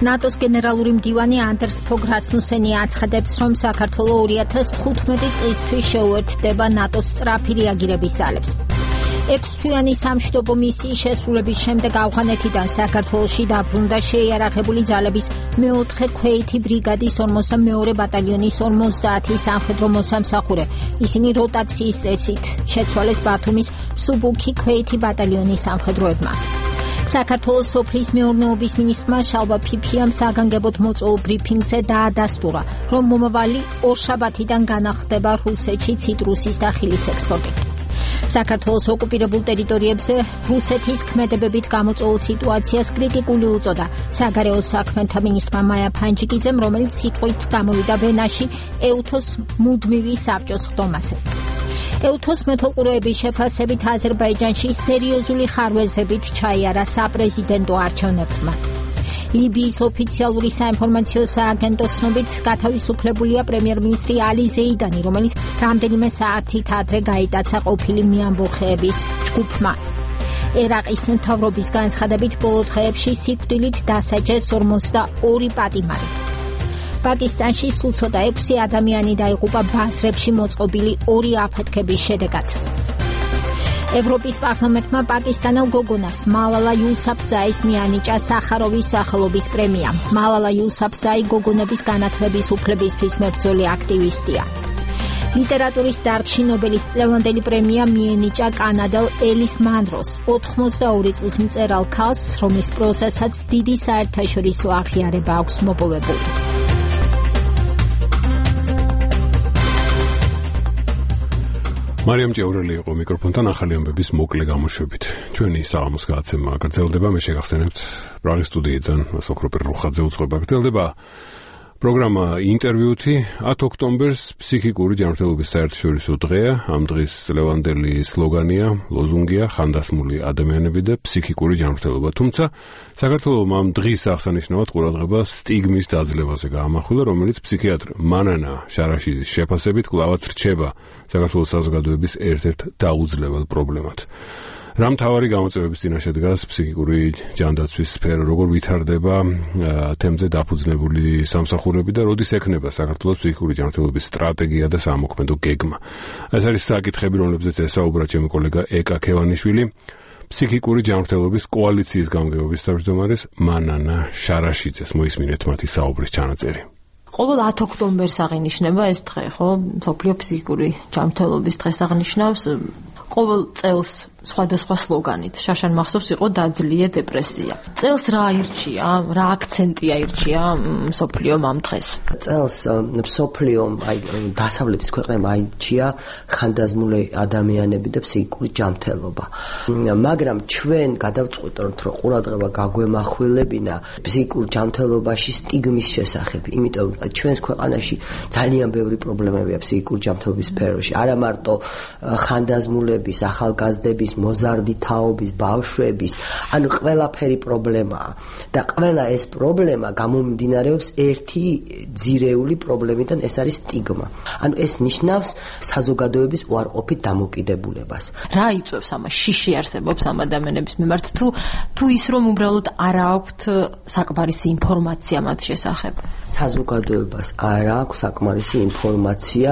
ნატოს გენერალური მდივანი ანდერს ფოგ რასმუსენი აცხადებს, რომ საქართველო 2015 წლისთვის შეუერთდება ნატოს სწრაფი რეაგირების ძალებს. 6 თვიანი სამშვიდობო მისიის შესრულების შემდეგ ავღანეთიდან საქართველოში დაბრუნდა შეიარაღებული ძალების მეოთხე ქვეითი ბრიგადის 42 ბატალიონის 50 სამხედრო მოსამსახურე. ისინი როტაციის წესით შეცვალეს ბათუმის სუბუქი ქვეითი ბატალიონის სამხედროებმა. საქართველოს სოფლის მეურნეობის მინისტრმა შალვა ფიფიამ საგანგებოდ მოწვეულ ბრიფინგზე დაადასტურა, რომ მომავალი ორშაბათიდან განახლდება რუსეთში ციტრუსის და ხილის ექსპორტი. საქართველოს ოკუპირებულ ტერიტორიებზე რუსეთის ქმედებებით გამოწვეულ სიტუაციას კრიტიკული უწოდა საგარეო საქმეთა მინისტრმა მაია ფანჯიკიძემ, რომელიც სიტყვით გამოვიდა ვენაში ეუთოს მუდმივი საბჭოს ხდომაზე. ეუთოს მეთვალყურეების შეფასებით აზერბაიჯანში სერიოზული ხარვეზებით ჩაიარა საპრეზიდენტო არჩევნებმა. ლიბიის ოფიციალური საინფორმაციო სააგენტოს ცნობით გათავისუფლებულია პრემიერ-მინისტრი ალი ზეიდანი, რომელიც რამდენიმე საათით ადრე გაიტაცა ყოფილი მიამბოხეების ჯგუფმა. ერაყის მთავრობის განცხადებით ბოლო დღეებში სიკვდილით დასაჯეს 42 პატიმარი. პაკისტანში სულ ცოტა 6 ადამიანი დაიღუპა ბაზრებში მოწყობილი 2 აფეთქების შედეგად. ევროპის პარლამენტმა პაკისტანელ გოგონას მალალა იუსაფზაის მიანიჭა სახაროვის სახელობის პრემია. მალალა იუსაფზაი გოგონების განათლების უფლებისთვის მებრძოლი აქტივისტია. ლიტერატურის დარგში ნობელის წლევანდელი პრემია მიენიჭა კანადელ ელის მანროს, 82 წლის მწერალ ქალს, რომლის პროზასაც დიდი საერთაშორისო აღიარება აქვს მოპოვებული. მარიამ ჭიაურელი იყო მიკროფონთან ახალი ამბების მოკლე გამოშვებით. ჩვენი საღამოს გადაცემა გრძელდება, მე შეგახსენებთ პრაღის სტუდიიდან სოკროპერ რუხაძე უძღვება. გრძელდება პროგრამა ინტერვიუთი 10 ოქტომბერს ფსიქიკური ჯანმრთელობის საერთაშორისო დღეა. ამ დღის წლევანდელი სლოგანია, ლოზუნგია ხანდასმული ადამიანები და ფსიქიკური ჯანმრთელობა. თუმცა საქართველოს ამ დღის აღსანიშნავად ყურადღება სტიგმის დაძლევაზე გაამახვილა, რომელიც ფსიქიატრ მანანა შარაშიძის შეფასებით კვლავაც რჩება საქართველოს საზოგადოების ერთ-ერთ დაუძლებელ პრობლემად. რა მთავარი გამოწვევების წინაშე დგას ფსიქიკური ჯანდაცვის სფერო, როგორ ვითარდება თემზე დაფუძნებული სამსახურები და როდის ექნება საქართველოს ფსიქიკური ჯანმრთელობის სტრატეგია და სამოქმედო გეგმა. ეს არის საკითხები, რომლებზეც ესაუბრა ჩემი კოლეგა ეკა ქევანიშვილი, ფსიქიკური ჯანმრთელობის კოალიციის გამგეობის თავმჯდომარის მანანა შარაშიძეს. მოისმინეთ მათი საუბრის ჩანაწერი. ყოველ 10 ოქტომბერს აღინიშნება ეს დღე, ხო? მსოფლიო ფსიქიკური ჯანმრთელობის დღეს აღნიშნავს. ყოველ წელს სხვადასხვა სლოგანით. შაშან მახსოვს იყო დაძლია depressia. წელს რა აირჩია, რა აქცენტი აირჩია მსოფლიომ ამ დღეს? წელს მსოფლიომ დასავლეთის ქვეყნებმა აირჩია ხანდაზმული ადამიანები და ფსიქიკური ჯანმრთელობა. მაგრამ ჩვენ გადავწყვიტეთ, რომ ყურადღება გაგვემახვილებინა ფსიქურ ჯანმრთელობაში სტიგმის შესახებ, იმიტომ ჩვენს ქვეყანაში ძალიან ბევრი პრობლემებია ფსიქიკური ჯანმრთელობის სფეროში. არა მარტო ხანდაზმულების, ახალგაზრდების, მოზარდი თაობის, ბავშვების, ანუ ყველაფერი პრობლემაა. და ყველა ეს პრობლემა გამომდინარეობს ერთი ძირეული პრობლემიდან, ეს არის სტიგმა. ანუ ეს ნიშნავს საზოგადოების უარყოფით დამოკიდებულებას. რა იწვევს ამას? შიში არსებობს ამ ადამიანების მიმართ თუ ის რომ უბრალოდ არ აქვთ საკმარისი ინფორმაცია მათ შესახებ? საზოგადოებას არ აქვს საკმარისი ინფორმაცია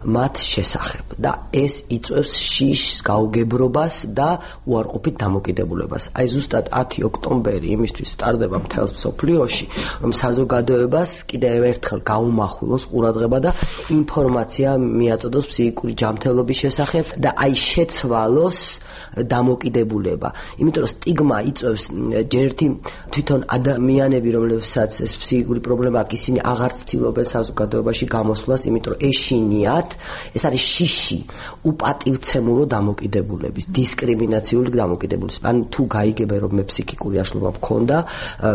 მათ შესახებ და ეს იწვევს შიშს, გაუგებრობას და უარყოფით დამოკიდებულებას. აი ზუსტად 10 ოქტომბერი იმისთვის სტარდება მთელს მსოფლიოში, რომ საზოგადოებას კიდევ ერთხელ გაუმახვილოს ყურადღება და ინფორმაცია მიაწოდოს ფსიქიკური ჯანმრთელობის შესახებ და აი შეცვალოს დამოკიდებულება. იმიტომ რომ სტიგმა იწვევს ჯერთი თვითონ ადამიანები, რომლებსაც ეს ფსიქიკური პრობლემა აქვს, ისინი აღარ ცდილობენ საზოგადოებაში გამოსვლას, იმიტომ რომ ეშინიათ ეს არის შიში უპატივცემულო დამოკიდებულების, დისკრიმინაციული დამოკიდებულების. ანუ თუ გაიგებენ რომ მე ფსიქიკური აშლობა მქონდა,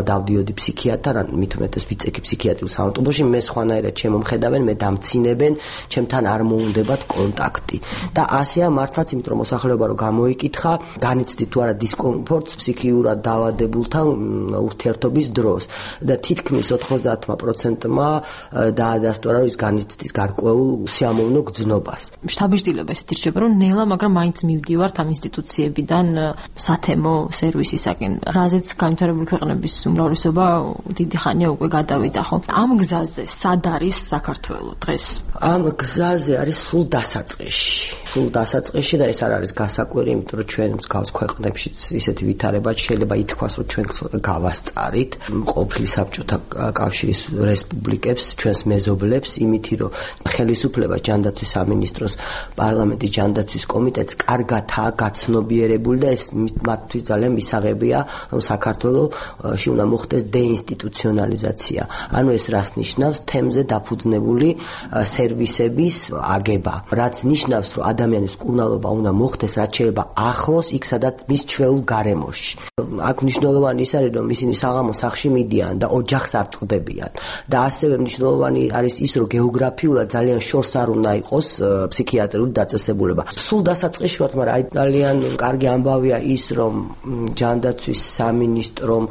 დავდიოდი ფსიქიატრთან, ან მით უმეტეს ვიცექი ფსიქიატრიულ საავტობუსში, მე სხვანაირად შემომხედავენ, მე დამცინებენ, ჩემთან არ მოუნდებათ კონტაქტი. და ასეა მართლაც, იმიტომ რომ მოსახლეობა რომ გამოიკითხა, განიცდი თუ არა დისკომფორტს ფსიქიურად დაავადებულთან ურთიერთობის დროს. და თითქმის 90%-მა დაადასტურა, რომ ის განიცდის გარკვეულ სიამოვნო გრძნობას. შთაბეჭდილება ესეთი რჩება, რომ ნელა, მაგრამ მაინც მივდივართ ამ ინსტიტუციებიდან სათემო სერვისისაკენ. რაზეც განვითარებული ქვეყნების უმრავლესობა დიდი ხანია უკვე გადავიდა, ხო? ამ გზაზე სად არის საქართველო დღეს? ამ გზაზე არის სულ დასაწყისში და ეს არ არის გასაკვირი, იმიტომ რომ ჩვენ მსგავს ქვეყნებში ისეთი ვითარება შეიძლება ითქვას, რომ ჩვენ გავასწარით ყოფილი საბჭოთა კავშირის რესპუბლიკებს, ჩვენს მეზობლებს, იმითი რომ ხელისუფლება ჯანდაცვის სამინისტროს პარლამენტის ჯანდაცვის კომიტეტს კარგადაა გაცნობიერებული და ეს მათთვის ძალიან მისაღებია, რომ საქართველოში უნდა მოხდეს დეინსტიტუციონალიზაცია. ანუ ეს რას ნიშნავს? თემზე დაფუძნებული სერვისების აგება, რაც ნიშნავს, რომ ადამიანის მკურნალობა უნდა მოხდეს რაც შეიძლება ახლოს იქ, სადაც მის ჩვეულ გარემოში. აქ მნიშვნელოვანი ის არის, რომ ისინი საღამოს სახლში მიდიან და ოჯახს არ წყდებიან. და ასევე მნიშვნელოვანი არის ის, რომ გეოგრაფიულად ძალიან შორს არ უნდა იყოს ფსიქიატრიული დაწესებულება. სულ დასაწყისში ვართ, მაგრამ აი ძალიან კარგი ამბავია ის, რომ ჯანდაცვის სამინისტრომ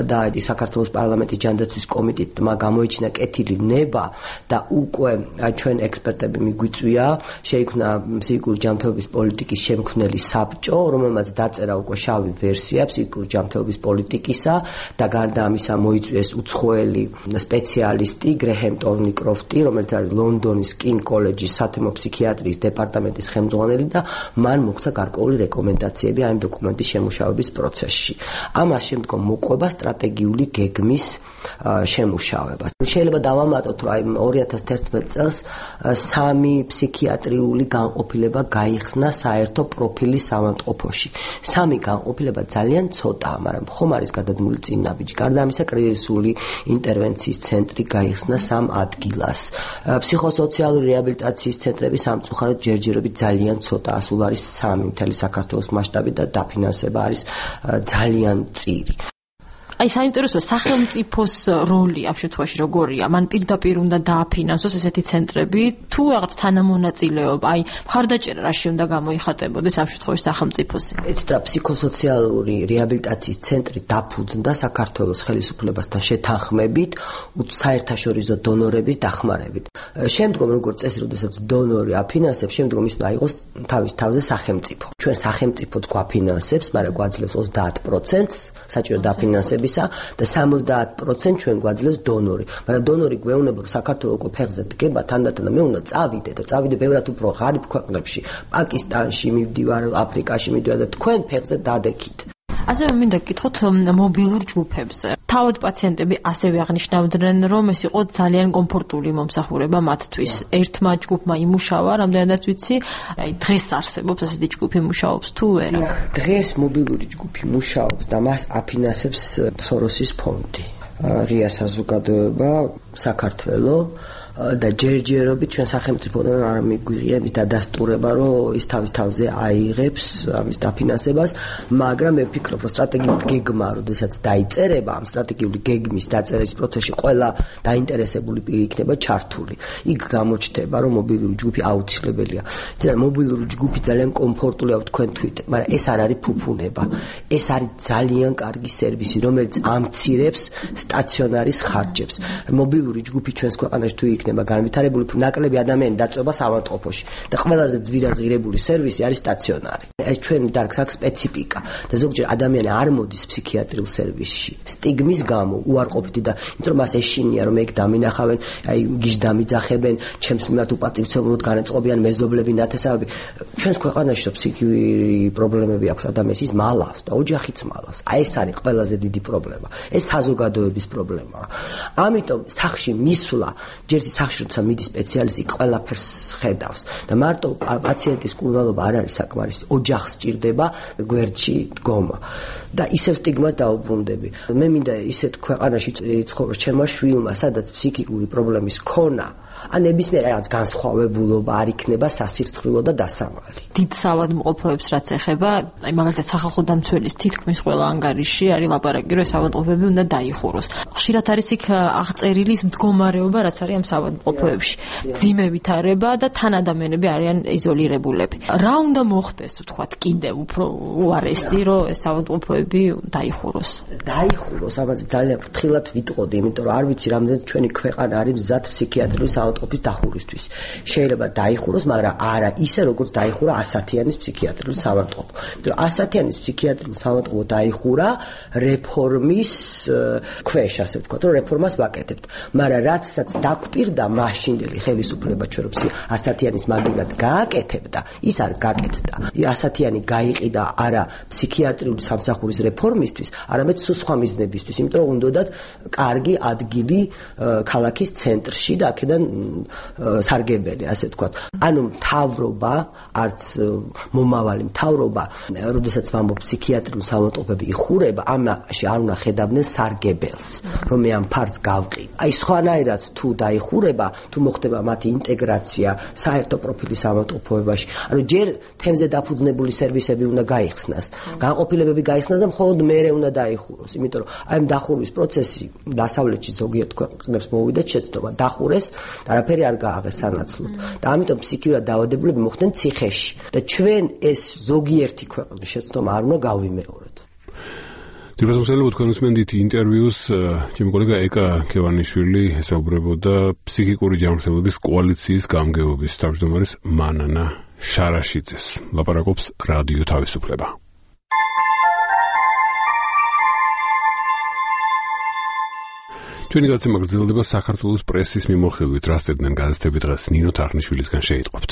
და საქართველოს პარლამენტის ჯანდაცვის კომიტეტმა გამოიჩინა კეთილი ნება და უკვე ჩვენ ექსპერტები მიგვიწვია, შეიქმნა ფსიქიკური ჯანმრთელობის პოლიტიკის შემქმნელი საბჭო, რომელმაც დაწერა უკვე შავი ვერსია ფსიქიკური ჯანმრთელობის პოლიტიკისა და გარდა ამისა მოიწვიეს უცხოელი სპეციალისტი გრეჰემ ტორნიკროფტი, რომელიც არის ლონდონის კინ კოლეჯის სათემო ფსიქიატრიის დეპარტამენტის ხელმძღვანელი და მან მოხდა გარკვეული რეკომენდაციები ამ დოკუმენტის შემუშავების პროცესში. ამას შემდგომ მოყვება სტრატეგიული გეგმის შემუშავება. შეიძლება დავამატოთ, რომ აი 2011 წელს 3 ფსიქიატრიული განყოფილება გაიხსნა საერთო პროფილის ავადმყოფოში. 3 განყოფილება ძალიან ცოტაა, მაგრამ ხომ არის გადადგმული წინ ნაბიჯი. გარდა ამისა, კრიზისული ინტერვენციის ცენტრი გაიხსნა 3 ადგილას. ფსიქოსოციალური რეაბილიტაციის ცენტრები სამწუხაროდ ჯერჯერობით ძალიან ცოტაა, სულ არის 3 მთელი საქართველოს მასშტაბით და დაფინანსება არის ძალიან მწირი. აი საინტერესოა სახელმწიფოს როლი ამ შემთხვევაში როგორია? მან პირდაპირ უნდა დააფინანსოს ესეთი ცენტრები თუ რაღაც თანამონაწილეობა? აი მხარდაჭერა რაში უნდა გამოიხატებოდეს ამ შემთხვევაში სახელმწიფოსი? ეთრა ფსიქოსოციალური რეაბილიტაციის ცენტრი დაფუძნდა საქართველოს ხელისუფლებასთან შეთანხმებით საერთაშორისო დონორების დახმარებით. შემდგომ როგორც წესი, როდესაც დონორი აფინანსებს, შემდგომ ის უნდა იყოს თავის თავზე სახელმწიფო. ჩვენ სახელმწიფოც გვაფინანსებს, მაგრამ გვაძლევს 30% საჭირო დაფინანსებისა და 70% ჩვენ გვაძლევს დონორი. მაგრამ დონორი გვეუბნება, რომ საქართველოს უკვე ფეხზე დგება, თანდათან მე უნდა წავიდე და წავიდე ბევრად უფრო ღარიბ ქვეყნებში, პაკისტანში მივდივარ, აფრიკაში მივდივარ და თქვენ ფეხზე დადექით. ასევე მინდა გკითხოთ მობილურ ჯგუფებზე. თავად პაციენტები ასევე აღნიშნავდნენ, რომ ეს იყო ძალიან კომფორტული მომსახურება მათთვის. ერთმა ჯგუფმა იმუშავა, რამდენადაც ვიცი, აი დღეს არსებობს ასეთი ჯგუფი მუშაობს თუ არა? დღეს მობილური ჯგუფი მუშაობს და მას აფინანსებს სოროსის ფონდი. ღია საზოგადოება საქართველოს და ჯერჯერობით ჩვენ სახელმწიფოდან არ მიგვიღია ის დადასტურება, რომ ის თავის თავზე აიღებს ამის დაფინანსებას, მაგრამ მე ვფიქრობ, რომ სტრატეგიული გეგმა, როდესაც დაიწერება, ამ სტრატეგიული გეგმის დაწერის პროცესში ყველა დაინტერესებული პირი იქნება ჩართული. იქ გამოჩნდება, რომ მობილური ჯგუფი აუცილებელია. იცით, მობილური ჯგუფი ძალიან კომფორტულია თქვენთვით, მაგრამ ეს არ არის ფუფუნება. ეს არის ძალიან კარგი სერვისი, რომელიც ამცირებს სტაციონარის ხარჯებს. მობილური ჯგუფი ჩვენს ქვეყანაში თუ იქნება განვითარებული, ნაკლები ადამიანი დაწובה საავადმყოფოში და ყველაზე ძვირადღირებული სერვისი არის სტაციონარი. ეს ჩვენი დარგს აქვს სპეციფიკა და ზოგჯერ ადამიანი არ მოდის ფსიქიატრიულ სერვისში სტიგმის გამო, უარყოფითი და იმიტომ რომ მას ეშინია რომ ეგ დამინახავენ, აი გიჟ დამიძახებენ, ჩემს მიმართ უპატივცემულოდ განეწყობიან მეზობლები, ნათესავები. ჩვენს ქვეყანაში რომ ფსიქიური პრობლემები აქვს ადამიანს, ის მალავს და ოჯახიც მალავს. აი ეს არის ყველაზე დიდი პრობლემა. ეს საზოგადოების პრობლემაა. ამიტომ სახში მისვლა ჯერჯერობით სახში როცა მიდის სპეციალისტი ყველაფერს ხედავს და მარტო პაციენტის კურნალობა არ არის საკმარისი, ოჯახს სჭირდება გვერდში დგომა და ისევ სტიგმას დაუბრუნდები. მე მინდა ისეთ ქვეყანაში იცხოვროს ჩემმა შვილმა, სადაც ფსიქიკური პრობლემის ქონა ან ნებისმიერ რაღაც განსხვავებულობა არ იქნება სასირცხვილო და დასამალი. დიდ საავადმყოფოებს რაც ეხება, აი მაგალითად სახალხო დამცველის თითქმის ყველა ანგარიში არის ლაპარაკი, რომ საავადმყოფოები უნდა დაიხუროს. ხშირად არის იქ აღწერილი მდგომარეობა, რაც არის ამ საავადმყოფოებში. ძიმე ვითარება და თან ადამიანები არიან იზოლირებულები. რა უნდა მოხდეს, ვთქვათ, კიდევ უფრო უარესი, რომ ეს საავადმყოფოები დაიხუროს? დაიხუროს, ამაზე ძალიან ფრთხილად ვიტყოდი, იმიტომ რომ არ ვიცი რამდენად ჩვენი ქვეყანა არის მზად ფსიქიატრიის საავადმყოფოს დახურვისთვის. შეიძლება დაიხუროს, მაგრამ არა ისე, როგორც დაიხურა ასათიანის ფსიქიატრიული საავადმყოფო. იმიტომ რომ ასათიანის ფსიქიატრიული საავადმყოფო დაიხურა რეფორმის ქვეშ, ასე ვთქვათ, რომ რეფორმას ვაკეთებთ. მაგრამ რაცაც დაგვპირდა მაშინდელი ხელისუფლება ჩვენ რომ ასათიანის მაგივრად გააკეთებდა, ის არ გააკეთდა. ასათიანი გაიყიდა არა ფსიქიატრიული სამსახურის რეფორმისთვის, არამედ სხვა მიზნებისთვის, იმიტომ რომ უნდათ კარგი ადგილი ქალაქის ცენტრში და აქედან სარგებელი, ასე ვთქვათ. ანუ მთავრობა, არც მომავალი მთავრობა, როდესაც ვამბობ ფსიქიატრიულ საავადმყოფოები იხურება, ამაში არ უნდა ხედავდნენ სარგებელს, რომ მე ამ ფარს გავყიდ. აი სხვანაირად თუ დაიხურება, თუ მოხდება მათი ინტეგრაცია საერთო პროფილის საავადმყოფოებაში, ანუ ჯერ თემზე დაფუძნებული სერვისები უნდა გაიხსნას, განყოფილებები გაიხსნას და მხოლოდ მერე უნდა დაიხუროს, იმიტომ რომ აი ამ დახურვის პროცესი დასავლეთში ზოგიერთ ქვეყნებს მოვიდა შეცდომა, დახურეს და არაფერი არ გააღეს სანაცვლოდ. და ამიტომ ფსიქიურად დაავადებულები მოხდნენ ციხეში და ჩვენ ეს ზოგიერთი ქვეყნის შეცდომა არ უნდა გავიმეოროთ. დიახ, თქვენ უსმენთ ინტერვიუს, ჩემი კოლეგა ეკა ქევანიშვილი ესაუბრებოდა ფსიქიკური ჯანმრთელობის კოალიციის გამგეობის თავმჯდომარის მანანა შარაშიძეს. ლაპარაკობს რადიო თავისუფლება. ჩვენი გაცემა გრძელდება საქართველოს პრესის მიმოხილვით, რა სწერდნენ გაზეთები დღეს ნინო თარხნიშვილისგან შეიტყობთ.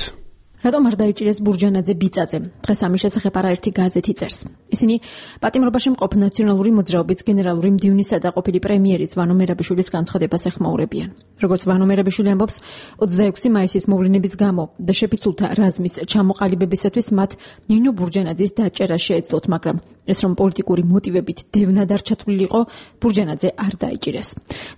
რატომ არ დაიჭირეს ბურჯანაძე ბიწაძე? დღეს ამის შესახებ არაერთი გაზეთი წერს. ისინი პატიმრობაში მყოფ ნაციონალური მოძრაობის გენერალური მდივნისა და ყოფილი პრემიერის ვანო მერაბიშვილის განცხადებას ეხმაურებიან. როგორც ვანო მერაბიშვილი ამბობს, 26 მაისის მოვლენების გამო და შეფიცულთა რაზმის ჩამოყალიბებისათვის მათ ნინო ბურჯანაძის დაჭერა შეეძლოთ, მაგრამ ეს რომ პოლიტიკური მოტივებით დევნად არ ჩათვლილიყო, ბურჯანაძე არ დაიჭირეს.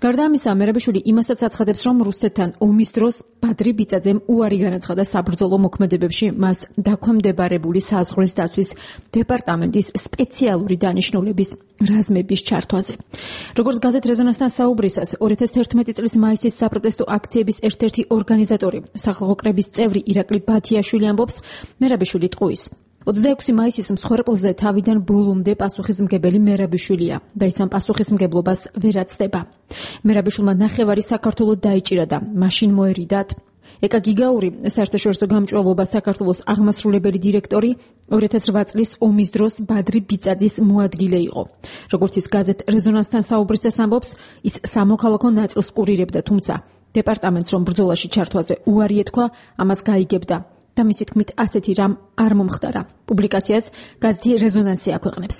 გარდა ამისა, მერაბიშვილი იმასაც აცხადებს, რომ რუსეთთან ომის დროს ბადრი ბიწაძემ უარი განაცხადა საბრძოლო მოქმედებებში მას დაქვემდებარებული საზღვრის დაცვის დეპარტამენტის სპეციალური დანიშნულების რაზმების ჩართვაზე. როგორც გაზეთ რეზონანსთან საუბრისას, 2011 წლის მაისის საპროტესტო აქციების ერთ-ერთი ორგანიზატორი, სახალხო კრების წევრი ირაკლი ბათიაშვილი ამბობს, მერაბიშვილი ტყუის 26 მაისის მსხვერპლზე თავიდან ბოლომდე პასუხისმგებელი მერაბიშვილია და ის ამ პასუხისმგებლობას ვერ აცდება. მერაბიშვილმა ნახევარი საქართველოს დაიჭირა და მაშინ მოერიდათ. ეკა გიგაური, საერთაშორისო გამჭვირვალობა საქართველოს აღმასრულებელი დირექტორი, 2008 წლის ომის დროს ბადრი ბიწაძის მოადგილე იყო. როგორც ის გაზეთ რეზონანსთან საუბრისას ამბობს, ის სამოქალაქო ნაწილს კურირებდა, თუმცა დეპარტამენტს რომ ბრძოლაში ჩართვაზე უარი ეთქვა, ამას გაიგებდა. და მისი თქმით ასეთი რამ არ მომხდარა. პუბლიკაციას გაზეთი რეზონანსი აქვეყნებს.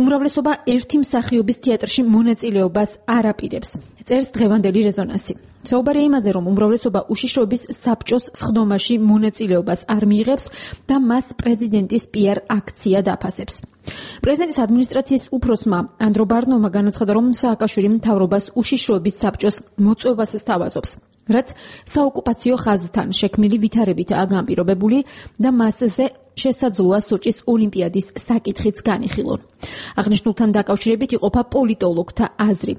უმრავლესობა ერთი მსახიობის თეატრში მონაწილეობას არ აპირებს. წერს დღევანდელი რეზონანსი. საუბარია იმაზე, რომ უმრავლესობა უშიშროების საბჭოს სხდომაში მონაწილეობას არ მიიღებს და მას პრეზიდენტის პიარ აქცია დაფასებს. პრეზიდენტის ადმინისტრაციის უფროსმა ანდრო ბარნოვმა განაცხადა, რომ სააკაშვილი მთავრობას უშიშროების საბჭოს მოწვევას სთავაზობს, რაც საოკუპაციო ხაზთან შექმნილი ვითარებითაა განპირობებული და მასზე შესაძლოა სოჭის ოლიმპიადის საკითხიც განიხილონ. აღნიშნულთან დაკავშირებით იყოფა პოლიტოლოგთა აზრი.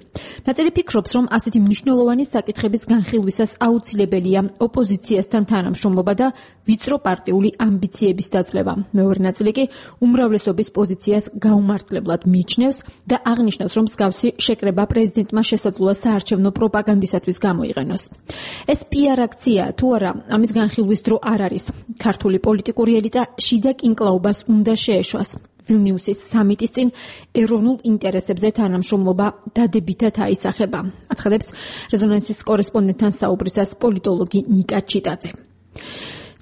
ნაწილი ფიქრობს, რომ ასეთი მნიშვნელოვანი საკითხების განხილვისას აუცილებელია ოპოზიციასთან თანამშრომლობა და ვიწრო პარტიული ამბიციების დაძლევა. მეორე ნაწილი კი უმრავლესობის პოზიციას გაუმართლებლად მიიჩნევს და აღნიშნავს, რომ მსგავსი შეკრება პრეზიდენტმა შესაძლოა საარჩევნო პროპაგანდისათვის გამოიყენოს. ეს პიარ აქცია თუ არა, ამის განხილვის დრო არ არის. ქართული პოლიტიკური ელიტა შიდა კინკლაობას უნდა შეეშვას. ვილნიუსის სამიტის წინ ეროვნულ ინტერესებზე თანამშრომლობა დადებითად აისახება. აცხადებს რეზონანსის კორესპონდენტთან საუბრისას პოლიტოლოგი ნიკა ჩიტაძე.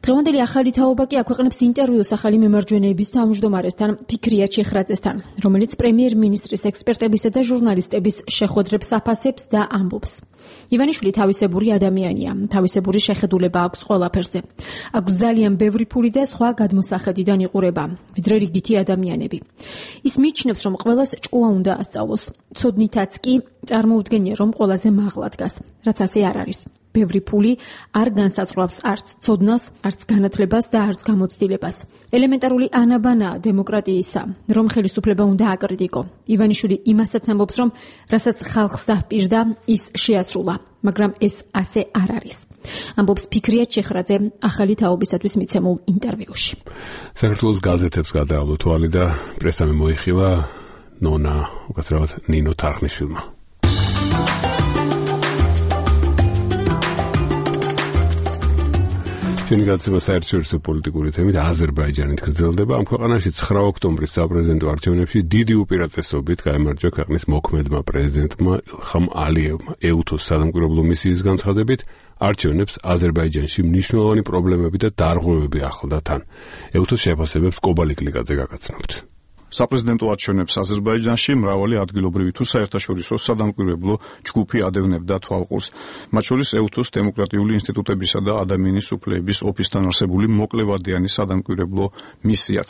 დღევანდელი ახალი თაობა კი აქვეყნებს ინტერვიუს ახალი მემარჯვენეების თავმჯდომარესთან ფიქრია ჩეხრაძესთან, რომელიც პრემიერ-მინისტრის ექსპერტებისა და ჟურნალისტების შეხვედრებს აფასებს და ამბობს. ივანიშვილი თავისებური ადამიანია, თავისებური შეხედულება აქვს ყველაფერზე. აქვს ძალიან ბევრი ფული და სხვა გადმოსახედიდან იყურება, ვიდრე რიგითი ადამიანები. ის მიიჩნევს, რომ ყველას ჭკუა უნდა ასწავლოს. ცოდნითაც კი წარმოუდგენია, რომ ყველაზე მაღლა დგას, რაც ასე არ არის. ბევრი ფული არ განსაზღვრავს არც ცოდნას, არც განათლებას და არც გამოცდილებას. ელემენტარული ანაბანაა დემოკრატიისა, რომ ხელისუფლება უნდა აკრიტიკო. ივანიშვილი იმასაც ამბობს, რომ რასაც ხალხს დაჰპირდა, ის შეასრულა, მაგრამ ეს ასე არ არის. ამბობს ფიქრია ჩეხრაძე ახალი თაობისათვის მიცემულ ინტერვიუში. საქართველოს გაზეთებს გადაავლო თვალი და პრესამი მოიხილა ნონა, უკაცრავად ნინო თარხნიშვილმა. ჩვენი გაცემა საერთაშორისო პოლიტიკური თემით აზერბაიჯანით გრძელდება. ამ ქვეყანაში 9 ოქტომბრის საპრეზიდენტო არჩევნებში დიდი უპირატესობით გაიმარჯვა ქვეყნის მოქმედმა პრეზიდენტმა ილხამ ალიევმა. ეუთოს სადამკვირვებლო მისიის განცხადებით, არჩევნებს აზერბაიჯანში მნიშვნელოვანი პრობლემები და დარღვევები ახლდა თან. ეუთოს შეფასებებს კობალი კლიკაძე გაგაცნობთ. საპრეზიდენტო არჩევნებს აზერბაიჯანში მრავალი ადგილობრივი თუ საერთაშორისო სადამკვირვებლო ჯგუფი ადევნებდა თვალყურს. მათ შორის ეუთოს დემოკრატიული ინსტიტუტებისა და ადამიანის უფლებების ოფისთან არსებული მოკლევადიანი სადამკვირვებლო მისიაც,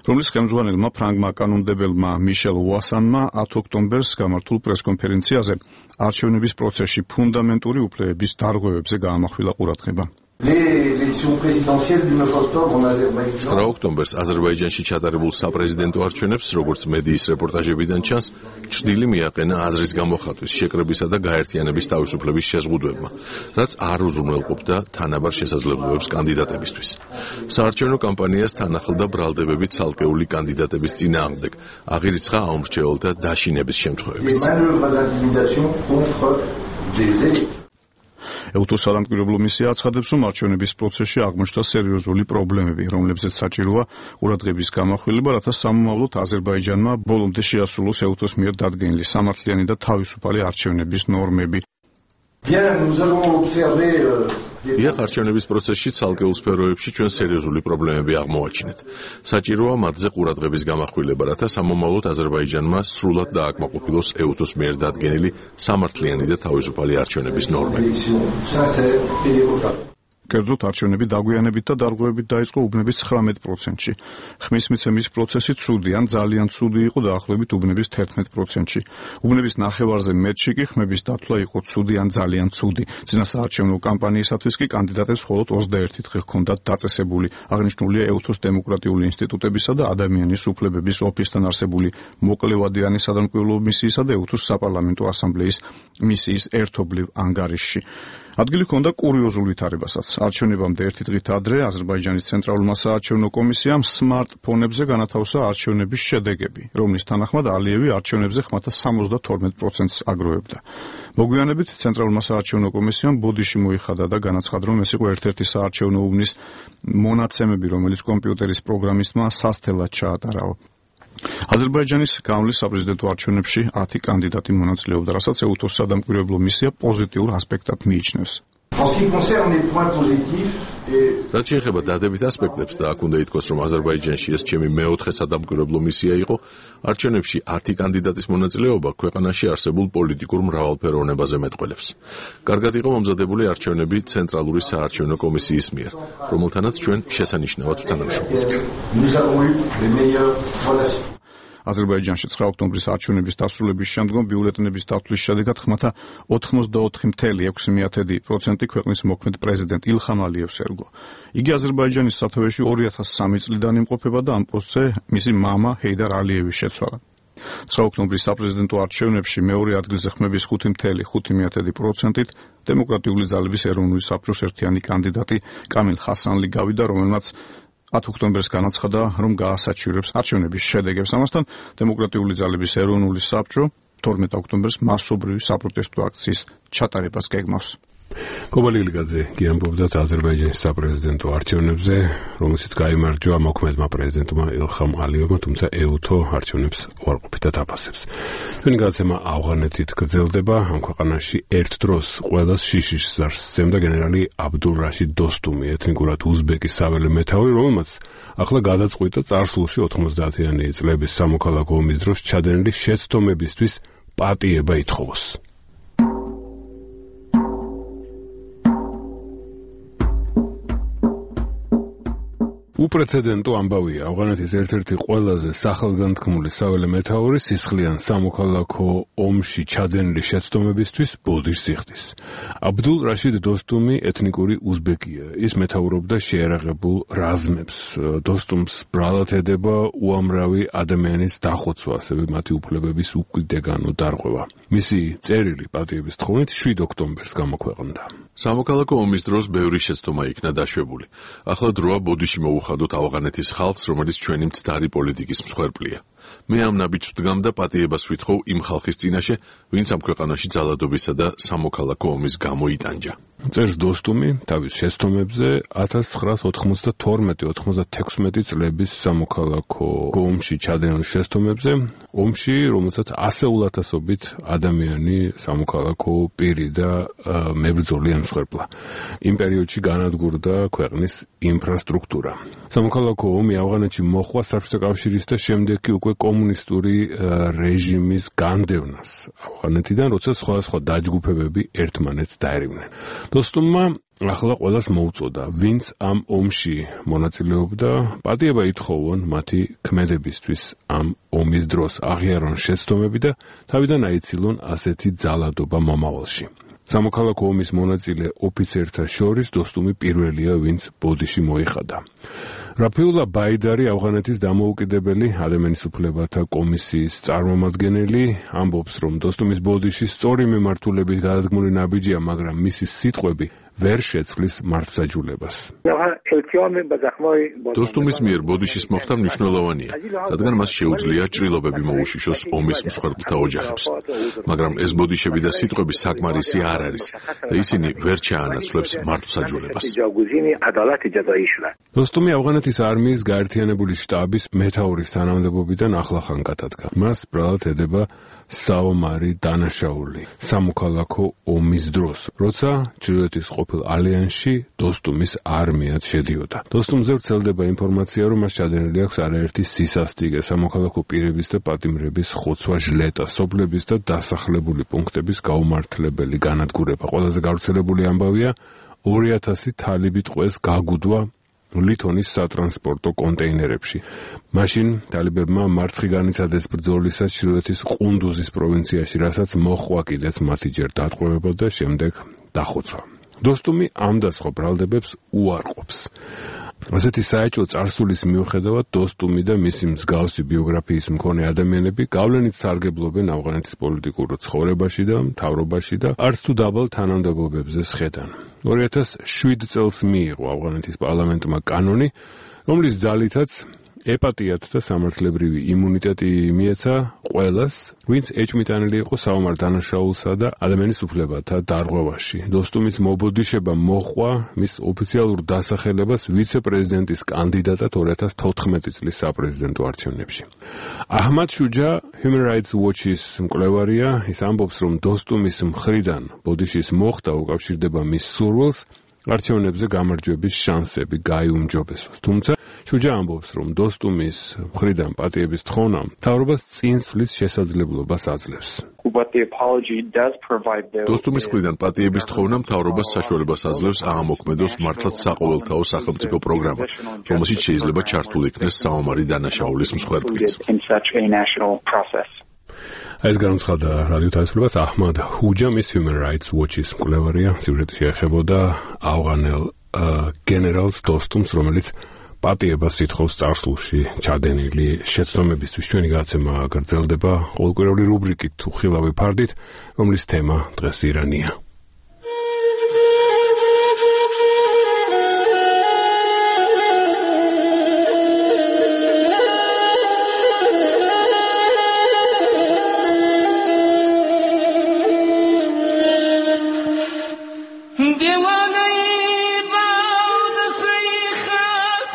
რომლის ხელმძღვანელმა ფრანგმა კანონმდებელმა მიშელ უასანმა 10 ოქტომბერს გამართულ პრესკონფერენციაზე არჩევნების პროცესში ფუნდამენტური უფლებების დარღვევებზე გაამახვილა ყურადღება. 9 ოქტომბერს აზერბაიჯანში ჩატარებულ საპრეზიდენტო არჩევნებს, როგორც მედიის რეპორტაჟებიდან ჩანს, ჭრილი მიაყენა აზრის გამოხატვის, შეკრებისა და გაერთიანების თავისუფლების შეზღუდვებმა, რაც არ უზრუნველყოფდა თანაბარ შესაძლებლობებს კანდიდატებისთვის. საარჩევნო კამპანიას თან ახლდა ბრალდებები ცალკეული კანდიდატების წინააღმდეგ, აღირიცხა აუმრჩეველთა დაშინების შემთხვევებიც. ეუთოს სადამკვირვებლო მისია აცხადებს, რომ არჩევნების პროცესში აღმოჩნდა სერიოზული პრობლემები, რომლებზეც საჭიროა ყურადღების გამახვილება, რათა სამომავლოდ აზერბაიჯანმა ბოლომდე შეასრულოს ეუთოს მიერ დადგენილი სამართლიანი და თავისუფალი არჩევნების ნორმები. იახ არჩევნების პროცესში ცალკეულ სფეროებში ჩვენ სერიოზული პრობლემები აღმოვაჩინეთ. საჭიროა მათზე ყურადღების გამახვილება, რათა სამომავლოდ აზერბაიჯანმა სრულად დააკმაყოფილოს ეუთოს მიერ დადგენილი სამართლიანი და თავისუფალი არჩევნების ნორმები. კერძოდ არჩევნები დაგვიანებით და დარღვევებით დაიწყო უბნების 19%-ში. ხმის მიცემის პროცესი ცუდი ან ძალიან ცუდი იყო დაახლოებით უბნების 11%-ში. უბნების ნახევარზე მეტში კი ხმების დათვლა იყო ცუდი ან ძალიან ცუდი. წინასაარჩევნო კამპანიისათვის კი კანდიდატებს მხოლოდ 21 დღე ჰქონდათ დაწესებული. აღნიშნულია ეუთოს დემოკრატიული ინსტიტუტებისა და ადამიანის უფლებების ოფისთან არსებული მოკლევადიანი სადამკვირვებლო მისიისა და ეუთოს საპარლამენტო ასამბლეის მისიის ერთობლივ ანგარიშში. ადგილი ჰქონდა კურიოზულ ვითარებასაც. არჩევნებამდე ერთი დღით ადრე აზერბაიჯანის ცენტრალურმა საარჩევნო კომისიამ სმარტფონებზე განათავსა არჩევნების შედეგები, რომლის თანახმად ალიევი არჩევნებზე ხმათა 72%-ს აგროვებდა. მოგვიანებით ცენტრალურმა საარჩევნო კომისიამ ბოდიში მოიხადა და განაცხადა, რომ ეს იყო ერთ-ერთი საარჩევნო უბნის მონაცემები, რომელიც კომპიუტერის პროგრამისტმა სასთელად ჩაატარაო. აზერბაიჯანის გამლის საპრეზიდენტო არჩევნებში 10 კანდიდატი მონაწილეობდა, რასაც ეუთოს სადამკვირვებლო მისია პოზიტიურ ასპექტად მიიჩნევს. რაც შეეხება დადებით ასპექტებს და აქ უნდა ითქვას, რომ აზერბაიჯანში ეს ჩემი მეოთხე სადამკვირვებლო მისია იყო, არჩევნებში 10 კანდიდატის მონაწილეობა ქვეყანაში არსებულ პოლიტიკურ მრავალფეროვნებაზე მეტყველებს. კარგად იყო მომზადებული არჩევნები ცენტრალური საარჩევნო კომისიის მიერ, რომელთანაც ჩვენ შესანიშნავად ვთანამშრომლობთ. აზერბაიჯანში 9 ოქტომბრის არჩევნების დასრულების შემდგომ ბიულეტენების დათვლის შედეგად ხმათა 84.6% ქვეყნის მოქმედ პრეზიდენტ ილხამ ალიევს ერგო. იგი აზერბაიჯანის სათავეში 2003 წლიდან იმყოფება და ამ პოსტზე მისი მამა ჰეიდარ ალიევი შეცვალა. 9 ოქტომბრის საპრეზიდენტო არჩევნებში მეორე ადგილზე ხმების 5.5%-ით დემოკრატიული ძალების ეროვნული საბჭოს ერთიანი კანდიდატი კამილ ხასანლი გავიდა, რომელმაც 10 ოქტომბერს განაცხადა, რომ გაასაჩივრებს არჩევნების შედეგებს. ამასთან დემოკრატიული ძალების ეროვნული საბჭო 12 ოქტომბერს მასობრივი საპროტესტო აქციის ჩატარებას გეგმავს. კობალი ილიგაძე გიამბობდა აზერბაიჯანის საპრეზიდენტო არჩევნებზე, რომელშიც გაიმარჯვა მოქმედმა პრეზიდენტმა ილხამ ალიევმა, თუმცა ეუთო არჩევნებს უარყოფითად აფასებს. ჩვენი გადაცემა ავღანეთით გრძელდება. ამ ქვეყანაში ერთ დროს ყველას შიშის ზარს სცემდა გენერალი აბდულ რაშიდ დოსტუმი, ეთნიკურად უზბეკის საველე მეთაური, რომელმაც ახლა გადაწყვიტა წარსულში 90-იანი წლების სამოქალაქო ომის დროს ჩადენილი შეცდომებისთვის პატიება ითხოვოს. უპრეცედენტო ამბავია, ავღანეთის ერთ-ერთი ყველაზე სახელგანთქმული საველე მეთაური სისხლიან სამოქალაქო ომში ჩადენილი შეცდომებისთვის ბოდიშს იხდის. აბდულ რაშიდ დოსტუმი ეთნიკური უზბეკია. ის მეთაურობდა შეერაღებულ რაზმებს. დოსტუმს ბრალად ედება უამრავი ადამიანის დახოცვა, ასევე მათი უფლებების უკიდეგანო დარღვევა. მისი წერილი პატიების თხოვნით 7 ოქტომბერს გამოქვეყნდა. სამოქალაქო ომის დროს ბევრი შეცდომა იქნა დაშვებული. ახლა დროა ბოდიში მოუხადოთ ავღანეთის ხალხს, რომელიც ჩვენი მცდარი პოლიტიკის მსხვერპლია. მე ამ ნაბიჯს ვდგამ და პატიებას ვითხოვ იმ ხალხის წინაშე, ვინც ამ ქვეყანაში ძალადობისა და სამოქალაქო ომის გამო იტანჯა. წერს დოსტუმი თავის შეცდომებზე 1992-96 წლების სამოქალაქო ომში ჩადენილ შეცდომებზე, ომში, რომელსაც ასეულათასობით ადამიანი სამოქალაქო პირი და მებრძოლი ემსხვერპლა. იმ პერიოდში განადგურდა ქვეყნის ინფრასტრუქტურა. სამოქალაქო ომი ავღანეთში მოხდა საბჭოთა კავშირის და შემდეგ კი უკვე კომუნისტური რეჟიმის განდევნას ავღანეთიდან, როცა სხვადასხვა დაჯგუფებები ერთმანეთს დაერივნენ. დოსტუმმა ახლა ყველას მოუწოდა, ვინც ამ ომში მონაწილეობდა, პატიება ითხოვონ მათი ქმედებისთვის ამ ომის დროს, აღიარონ შეცდომები და თავიდან აიცილონ ასეთი ძალადობა მომავალში. სამოქალაქო ომის მონაწილე ოფიცერთა შორის დოსტუმი პირველია, ვინც ბოდიში მოიხადა. რაფიულა ბაიდარი, ავღანეთის დამოუკიდებელი ადამიანის უფლებათა კომისიის წარმომადგენელი, ამბობს, რომ დოსტუმის ბოდიში სწორი მიმართულებით გადადგმული ნაბიჯია, მაგრამ მისი სიტყვები ვერ შეცვლის მართლმსაჯულებას. დოსტუმის მიერ ბოდიშის მოხდა მნიშვნელოვანია, რადგან მას შეუძლია ჭრილობები მოუშიშოს ომის მსხვერპლთა ოჯახებს. მაგრამ ეს ბოდიშები და სიტყვები საკმარისი არ არის და ისინი ვერ ჩაანაცვლებს მართლმსაჯულებას. დოსტუმი ავღანეთის არმიის გაერთიანებული შტაბის მეთაურის თანამდებობიდან ახლახან გადადგა. მას ბრალად ედება საომარი დანაშაული სამოქალაქო ომის დროს, როცა ჩრდილოეთის ყოფილ ალიანსში დოსტუმის არმიაც შედიოდა. დოსტუმზე ვრცელდება ინფორმაცია, რომ მას ჩადენილი აქვს არაერთი სისასტიკე, სამოქალაქო პირების და პატიმრების ხოცვა, ჟლეტა, სოფლების და დასახლებული პუნქტების გაუმართლებელი განადგურება. ყველაზე გავრცელებული ამბავია 2000 თალიბი ტყვეს გაგუდვა ლითონის სატრანსპორტო კონტეინერებში. მაშინ თალებებმა მარცხი განიცადეს ბრძოლისას ჩრდილოეთის ყუნდუზის პროვინციაში, რასაც მოჰყვა კიდეც მათი ჯერ დატყვევება და შემდეგ დახოცვა. დოსტუმი ამ და სხვა ბრალდებებს უარყოფს. ასეთი საეჭვო წარსულის მიუხედავად დოსტუმი და მისი მსგავსი ბიოგრაფიის მქონე ადამიანები გავლენით სარგებლობენ ავღანეთის პოლიტიკურ ცხოვრებაში და მთავრობაში და არც თუ დაბალ თანამდებობებზე სხედან. 2007 წელს მიიღო ავღანეთის პარლამენტმა კანონი, რომლის ძალითაც ეპატიათ და სამართლებრივი იმუნიტეტი მიეცა ყველას, ვინც ეჭვმიტანილი იყო საომარ დანაშაულსა და ადამიანის უფლებათა დარღვევაში. დოსტუმის მობოდიშება მოჰყვა მის ოფიციალურ დასახელებას ვიცე-პრეზიდენტის კანდიდატად 2014 წლის საპრეზიდენტო არჩევნებში. აჰმად შუჯა Human Rights Watch-ის მკვლევარია, ის ამბობს, რომ დოსტუმის მხრიდან ბოდიშის მოხდა უკავშირდება მის სურვილს არჩევნებზე გამარჯვების შანსები გაიუმჯობესოს. თუმცა შუჯა ამბობს, რომ დოსტუმის მხრიდან პატიების თხოვნა მთავრობას წინსვლის შესაძლებლობას აძლევს. დოსტუმის მხრიდან პატიების თხოვნა მთავრობას საშუალებას აძლევს აღმოქმედოს მართლაც საყოველთაო სახელმწიფო პროგრამა, რომელშიც შეიძლება ჩართული იქნეს საომარი დანაშაულის მსხვერპლიც. ეს განუცხადა რადიო თავისუფლებას აჰმად ჰუჯა, მის Human Rights Watch-ის მკვლევარია. სიუჟეტი შეეხებოდა ავღანელ გენერალს დოსტუმს, რომელიც პატიებას ითხოვს წარსულში ჩადენილი შეცდომებისთვის. ჩვენი გადაცემა გრძელდება ყოველკვირეული რუბრიკით უხილავი ფარდით, რომლის თემა დღეს ირანია.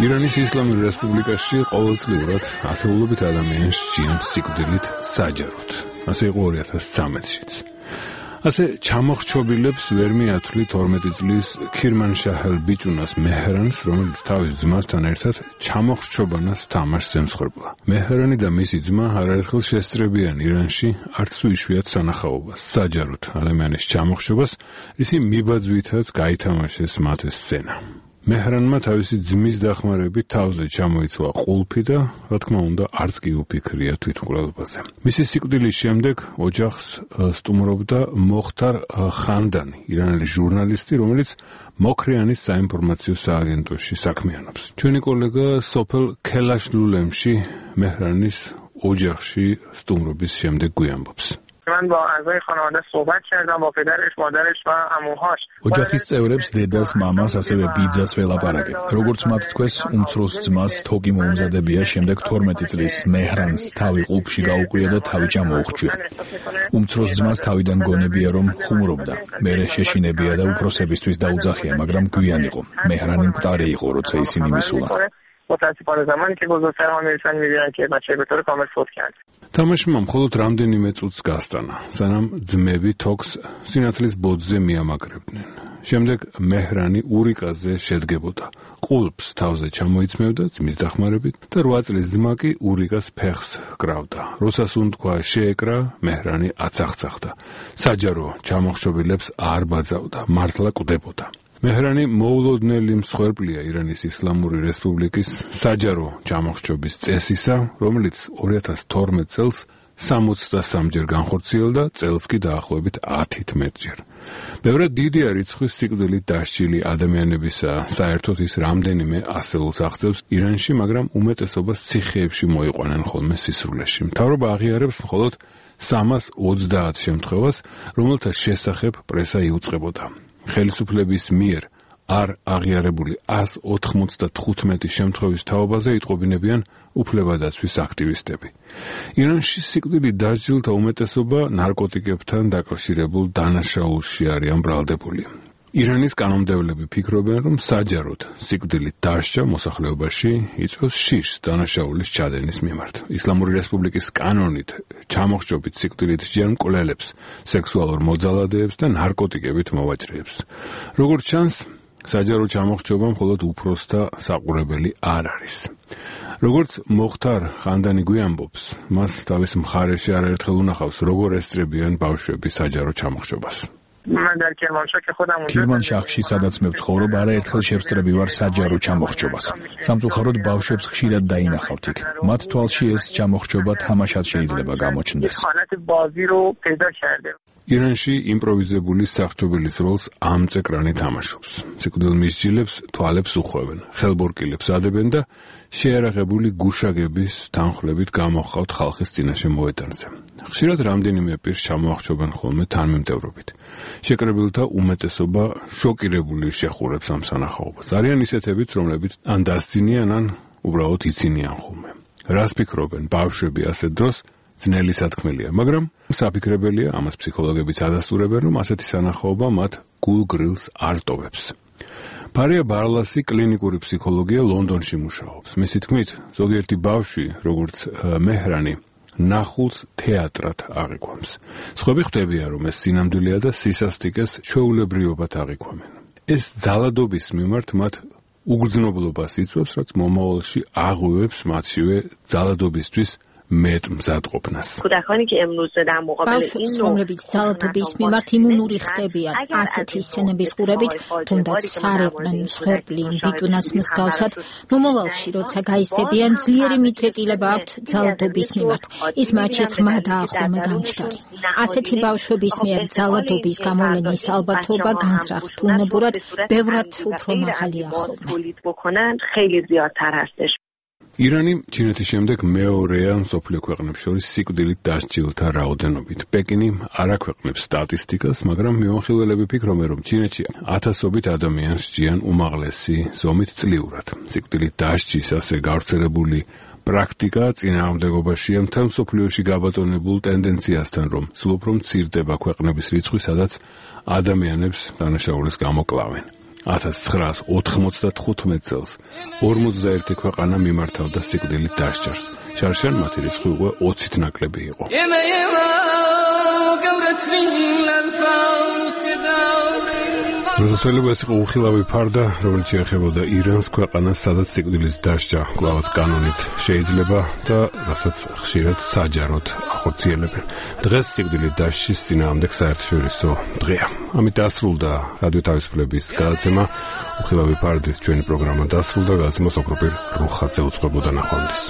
ირანის ისლამურ რესპუბლიკაში ყოველწლიურად ათეულობით ადამიანს სჭიანთ სიკვდილით საჯაროდ. ასე იყო 2013-შიც. ასე ჩამოხრჩობილებს ვერ მიათვლით 12 წლის ქირმანშაჰელ ბიჭუნას მეჰრანს, რომელიც თავის ძმასთან ერთად ჩამოხრჩობანას თამაშს ემსხვერპლა. მეჰრანი და მისი ძმა არაერთხელ შესწრებიან ირანში არც თუ იშვიათ სანახაობას, საჯაროდ ადამიანის ჩამოხრჩობას, ისი მიბაძვითაც გაითამაშეს მათ ეს სცენა. მეჰრანმა თავისი ძმის დახმარებით თავზე ჩამოიცვა ყულფი და, რა თქმა უნდა, არც კი უფიქრია თვითმკვლელობაზე. მისი სიკვდილის შემდეგ ოჯახს სტუმრობდა მოხთარ ხანდანი, ირანელი ჟურნალისტი, რომელიც მოქრიანის საინფორმაციო სააგენტოში საქმიანობს. ჩვენი კოლეგა სოფელ ქელაშლულემში მეჰრანის ოჯახში სტუმრობის შემდეგ გვიამბობს. من با اعضای خانواده صحبت کردم با پدرش مادرش و عموهاش ოჯახის წევრებს დედას, მამას, ასევე ბიძას ველაპარაკე. როგორც მათ თქვეს, უმცროს ძმას თოკი მოუმზადებია შემდეგ 12 წლის მეჰრანს თავი ყულფში გაუყვია და თავი ჩამოუხრჩია. უმცროს ძმას თავიდან გონებია რომ ხუმრობდა. მერე შეშინებია და უფროსებისთვის დაუძახია, მაგრამ გვიან იყო. მეჰრანი მკვდარი იყო, როცა ისინი მისულა. متاسفانه زمانی که بزرگترها میرسن میبینن که بچه به طور کامل فوت کرد. თამაშმა მხოლოდ რამდენიმე წუთს გასტანა, სანამ ძმები თოქს სინათლის ბოძზე მიამაგრებდნენ. შემდეგ მეჰრანი ურიკაზე შედგებოდა. ყულფს თავზე ჩამოიცმევდა ძმის დახმარებით და 8 წლის ძმა კი ურიკას ფეხს კრავდა. როდესაც უნთქვა შეეკრა, მეჰრანი აცახცახდა. საჯარო ჩამოხრჩობილებს არ ბაძავდა, მართლა კვდებოდა. მეჰრანი მოულოდნელი მსხვერპლია ირანის ისლამური რესპუბლიკის საჯარო ჩამოხრჩობის წესისა, რომელიც 2012 წელს 63-ჯერ განხორციელდა, წელს კი დაახლოებით 11 ჯერ. ბევრად დიდია რიცხვის სიკვდილით დასჯილი ადამიანებისა, საერთოდ ის რამდენიმე ასეულს აღწევს ირანში, მაგრამ უმეტესობას ციხეებში მოიყვანენ ხოლმე სისრულეში. მთავრობა აღიარებს მხოლოდ 330 შემთხვევას, რომელთა შესახებ პრესა იუწყებოდა. ხელისუფლების მიერ არ აღიარებული 195 შემთხვევის თაობაზე იტყობინებიან უფლებადაცვის აქტივისტები. ირანში სიკვდილით დასჯილთა უმეტესობა ნარკოტიკებთან დაკავშირებულ დანაშაულში არიან ბრალდებული. ირანის კანონმდებლები ფიქრობენ, რომ საჯაროდ სიკვდილით დასჯა მოსახლეობაში იწვევს შიშს დანაშაულის ჩადენის მიმართ. ისლამური რესპუბლიკის კანონით ჩამოხრჩობით სიკვდილით სჯიან მკვლელებს, სექსუალურ მოძალადეებს და ნარკოტიკებით მოვაჭრეებს. როგორც ჩანს, საჯარო ჩამოხრჩობა მხოლოდ უფროსთა საყურებელი არ არის. როგორც მოხთარ ხანდანი გვიამბობს, მას თავის მხარეში არაერთხელ უნახავს, როგორ ესწრებიან ბავშვები საჯარო ჩამოხრჩობას. من در کرمانشاه که خودم اونجا ქირმანშაჰში, სადაც მე ვცხოვრობ, არაერთხელ შევსწრები ვარ საჯარო ჩამოხრჩობას. სამწუხაროდ ბავშვებს ხშირად დაინახავთ იქ. მათ თვალში ეს ჩამოხრჩობა თამაშად შეიძლება გამოჩნდეს. حالت بازی رو پیدا کرده. ირანში იმპროვიზებული სახრჩობილის როლს ამწეკრანი თამაშობს. სიკვდილმისჯილებს თვალებს უხვევენ, ხელბორკილებს ადებენ და შეარაღებული გუშაგების თანხლებით გამოჰყავთ ხალხის წინაშე მოედანზე. ხშირად რამდენიმე პირს ჩამოახრჩობენ ხოლმე თანმიმდევრობით. შეკრებილთა უმეტესობა შოკირებული შეხურებს ამ სანახაობას. არიან ისეთებიც, რომლებიც ან დასძინიან, ან უბრალოდ იცინიან ხოლმე. რას ფიქრობენ ბავშვები ასეთ დროს? ძნელი სათქმელია, მაგრამ საფიქრებელია, ამას ფსიქოლოგებიც ადასტურებენ, რომ ასეთი სანახაობა მათ გულ-გრილს არ ტოვებს. ფარია ბარლასი კლინიკური ფსიქოლოგია ლონდონში მუშაობს. მისი თქმით, ზოგიერთი ბავშვი, როგორც მეჰრანი, ნახულს თეატრად აღიქვამს. სხვები ხვდებიან, რომ ეს სინამდვილეა და სისასტიკეს ჩვეულებრივად აღიქვამენ. ეს ძალადობის მიმართ მათ უგრძნობლობას იწვევს, რაც მომავალში აღვივებს მათშივე ძალადობისთვის მეტ მზადყოფნას. ბავშვებს, რომლებიც ძალადობის მიმართ იმუნური ხდებიან, ასეთი სცენების ყურებით, თუნდაც სარეყნენ მსხვერპლი ბიჭუნას მსგავსად, მომავალში, როცა გაიზრდებიან, ძლიერი მიდრეკილება აქვთ ძალადობის მიმართ. ის მათში ღრმა დაახლომა გამჩნდარი. ასეთი ბავშვების მიერ ძალადობის გამოვლენის ალბათობა განზრახ-თუნებურად ბევრად უფრო მაღალია ხოლმე. ირანი ჩინეთის შემდეგ მეორეა მსოფლიო ქვეყნებს შორის სიკვდილით დასჯილთა რაოდენობით. პეკინი არ აქვეყნებს სტატისტიკას, მაგრამ მეუხილველები ფიქრობენ, რომ ჩინეთში ათასობით ადამიანს სჯიან უმაღლესი ზომით წლიურად. სიკვდილით დასჯის ასე გავრცელებული პრაქტიკა წინააღმდეგობაშია მთელ მსოფლიოში გაბატონებულ ტენდენციასთან, რომ სულ უფრო მცირდება ქვეყნების რიცხვი, სადაც ადამიანებს დანაშაულის გამოკლავენ. 1995 წელს 51 ქვეყანა მიმართავდა სიკვდილით დასჯას. შარშან მათი რიცხვი უკვე 20-ით ნაკლები იყო. რუსეთელები ეს იყო უხილავი ფარდა, რომელიც შეეხებოდა ირანს, ქვეყანას, სადაც სიკვდილის დასჯა კვლავაც კანონით შეიძლება და რასაც ხშირად საჯაროდ ახორციელებენ. დღეს სიკვდილით დასჯის წინააღმდეგ საერთაშორისო დღეა. ამით დასრულდა რადიო თავისუფლების გადაცემა. უხილავი ფარდით ჩვენი პროგრამა დასრულდა. გადაცემას ოქროპირ რუხაძე უწყებოდა ნახვამდის.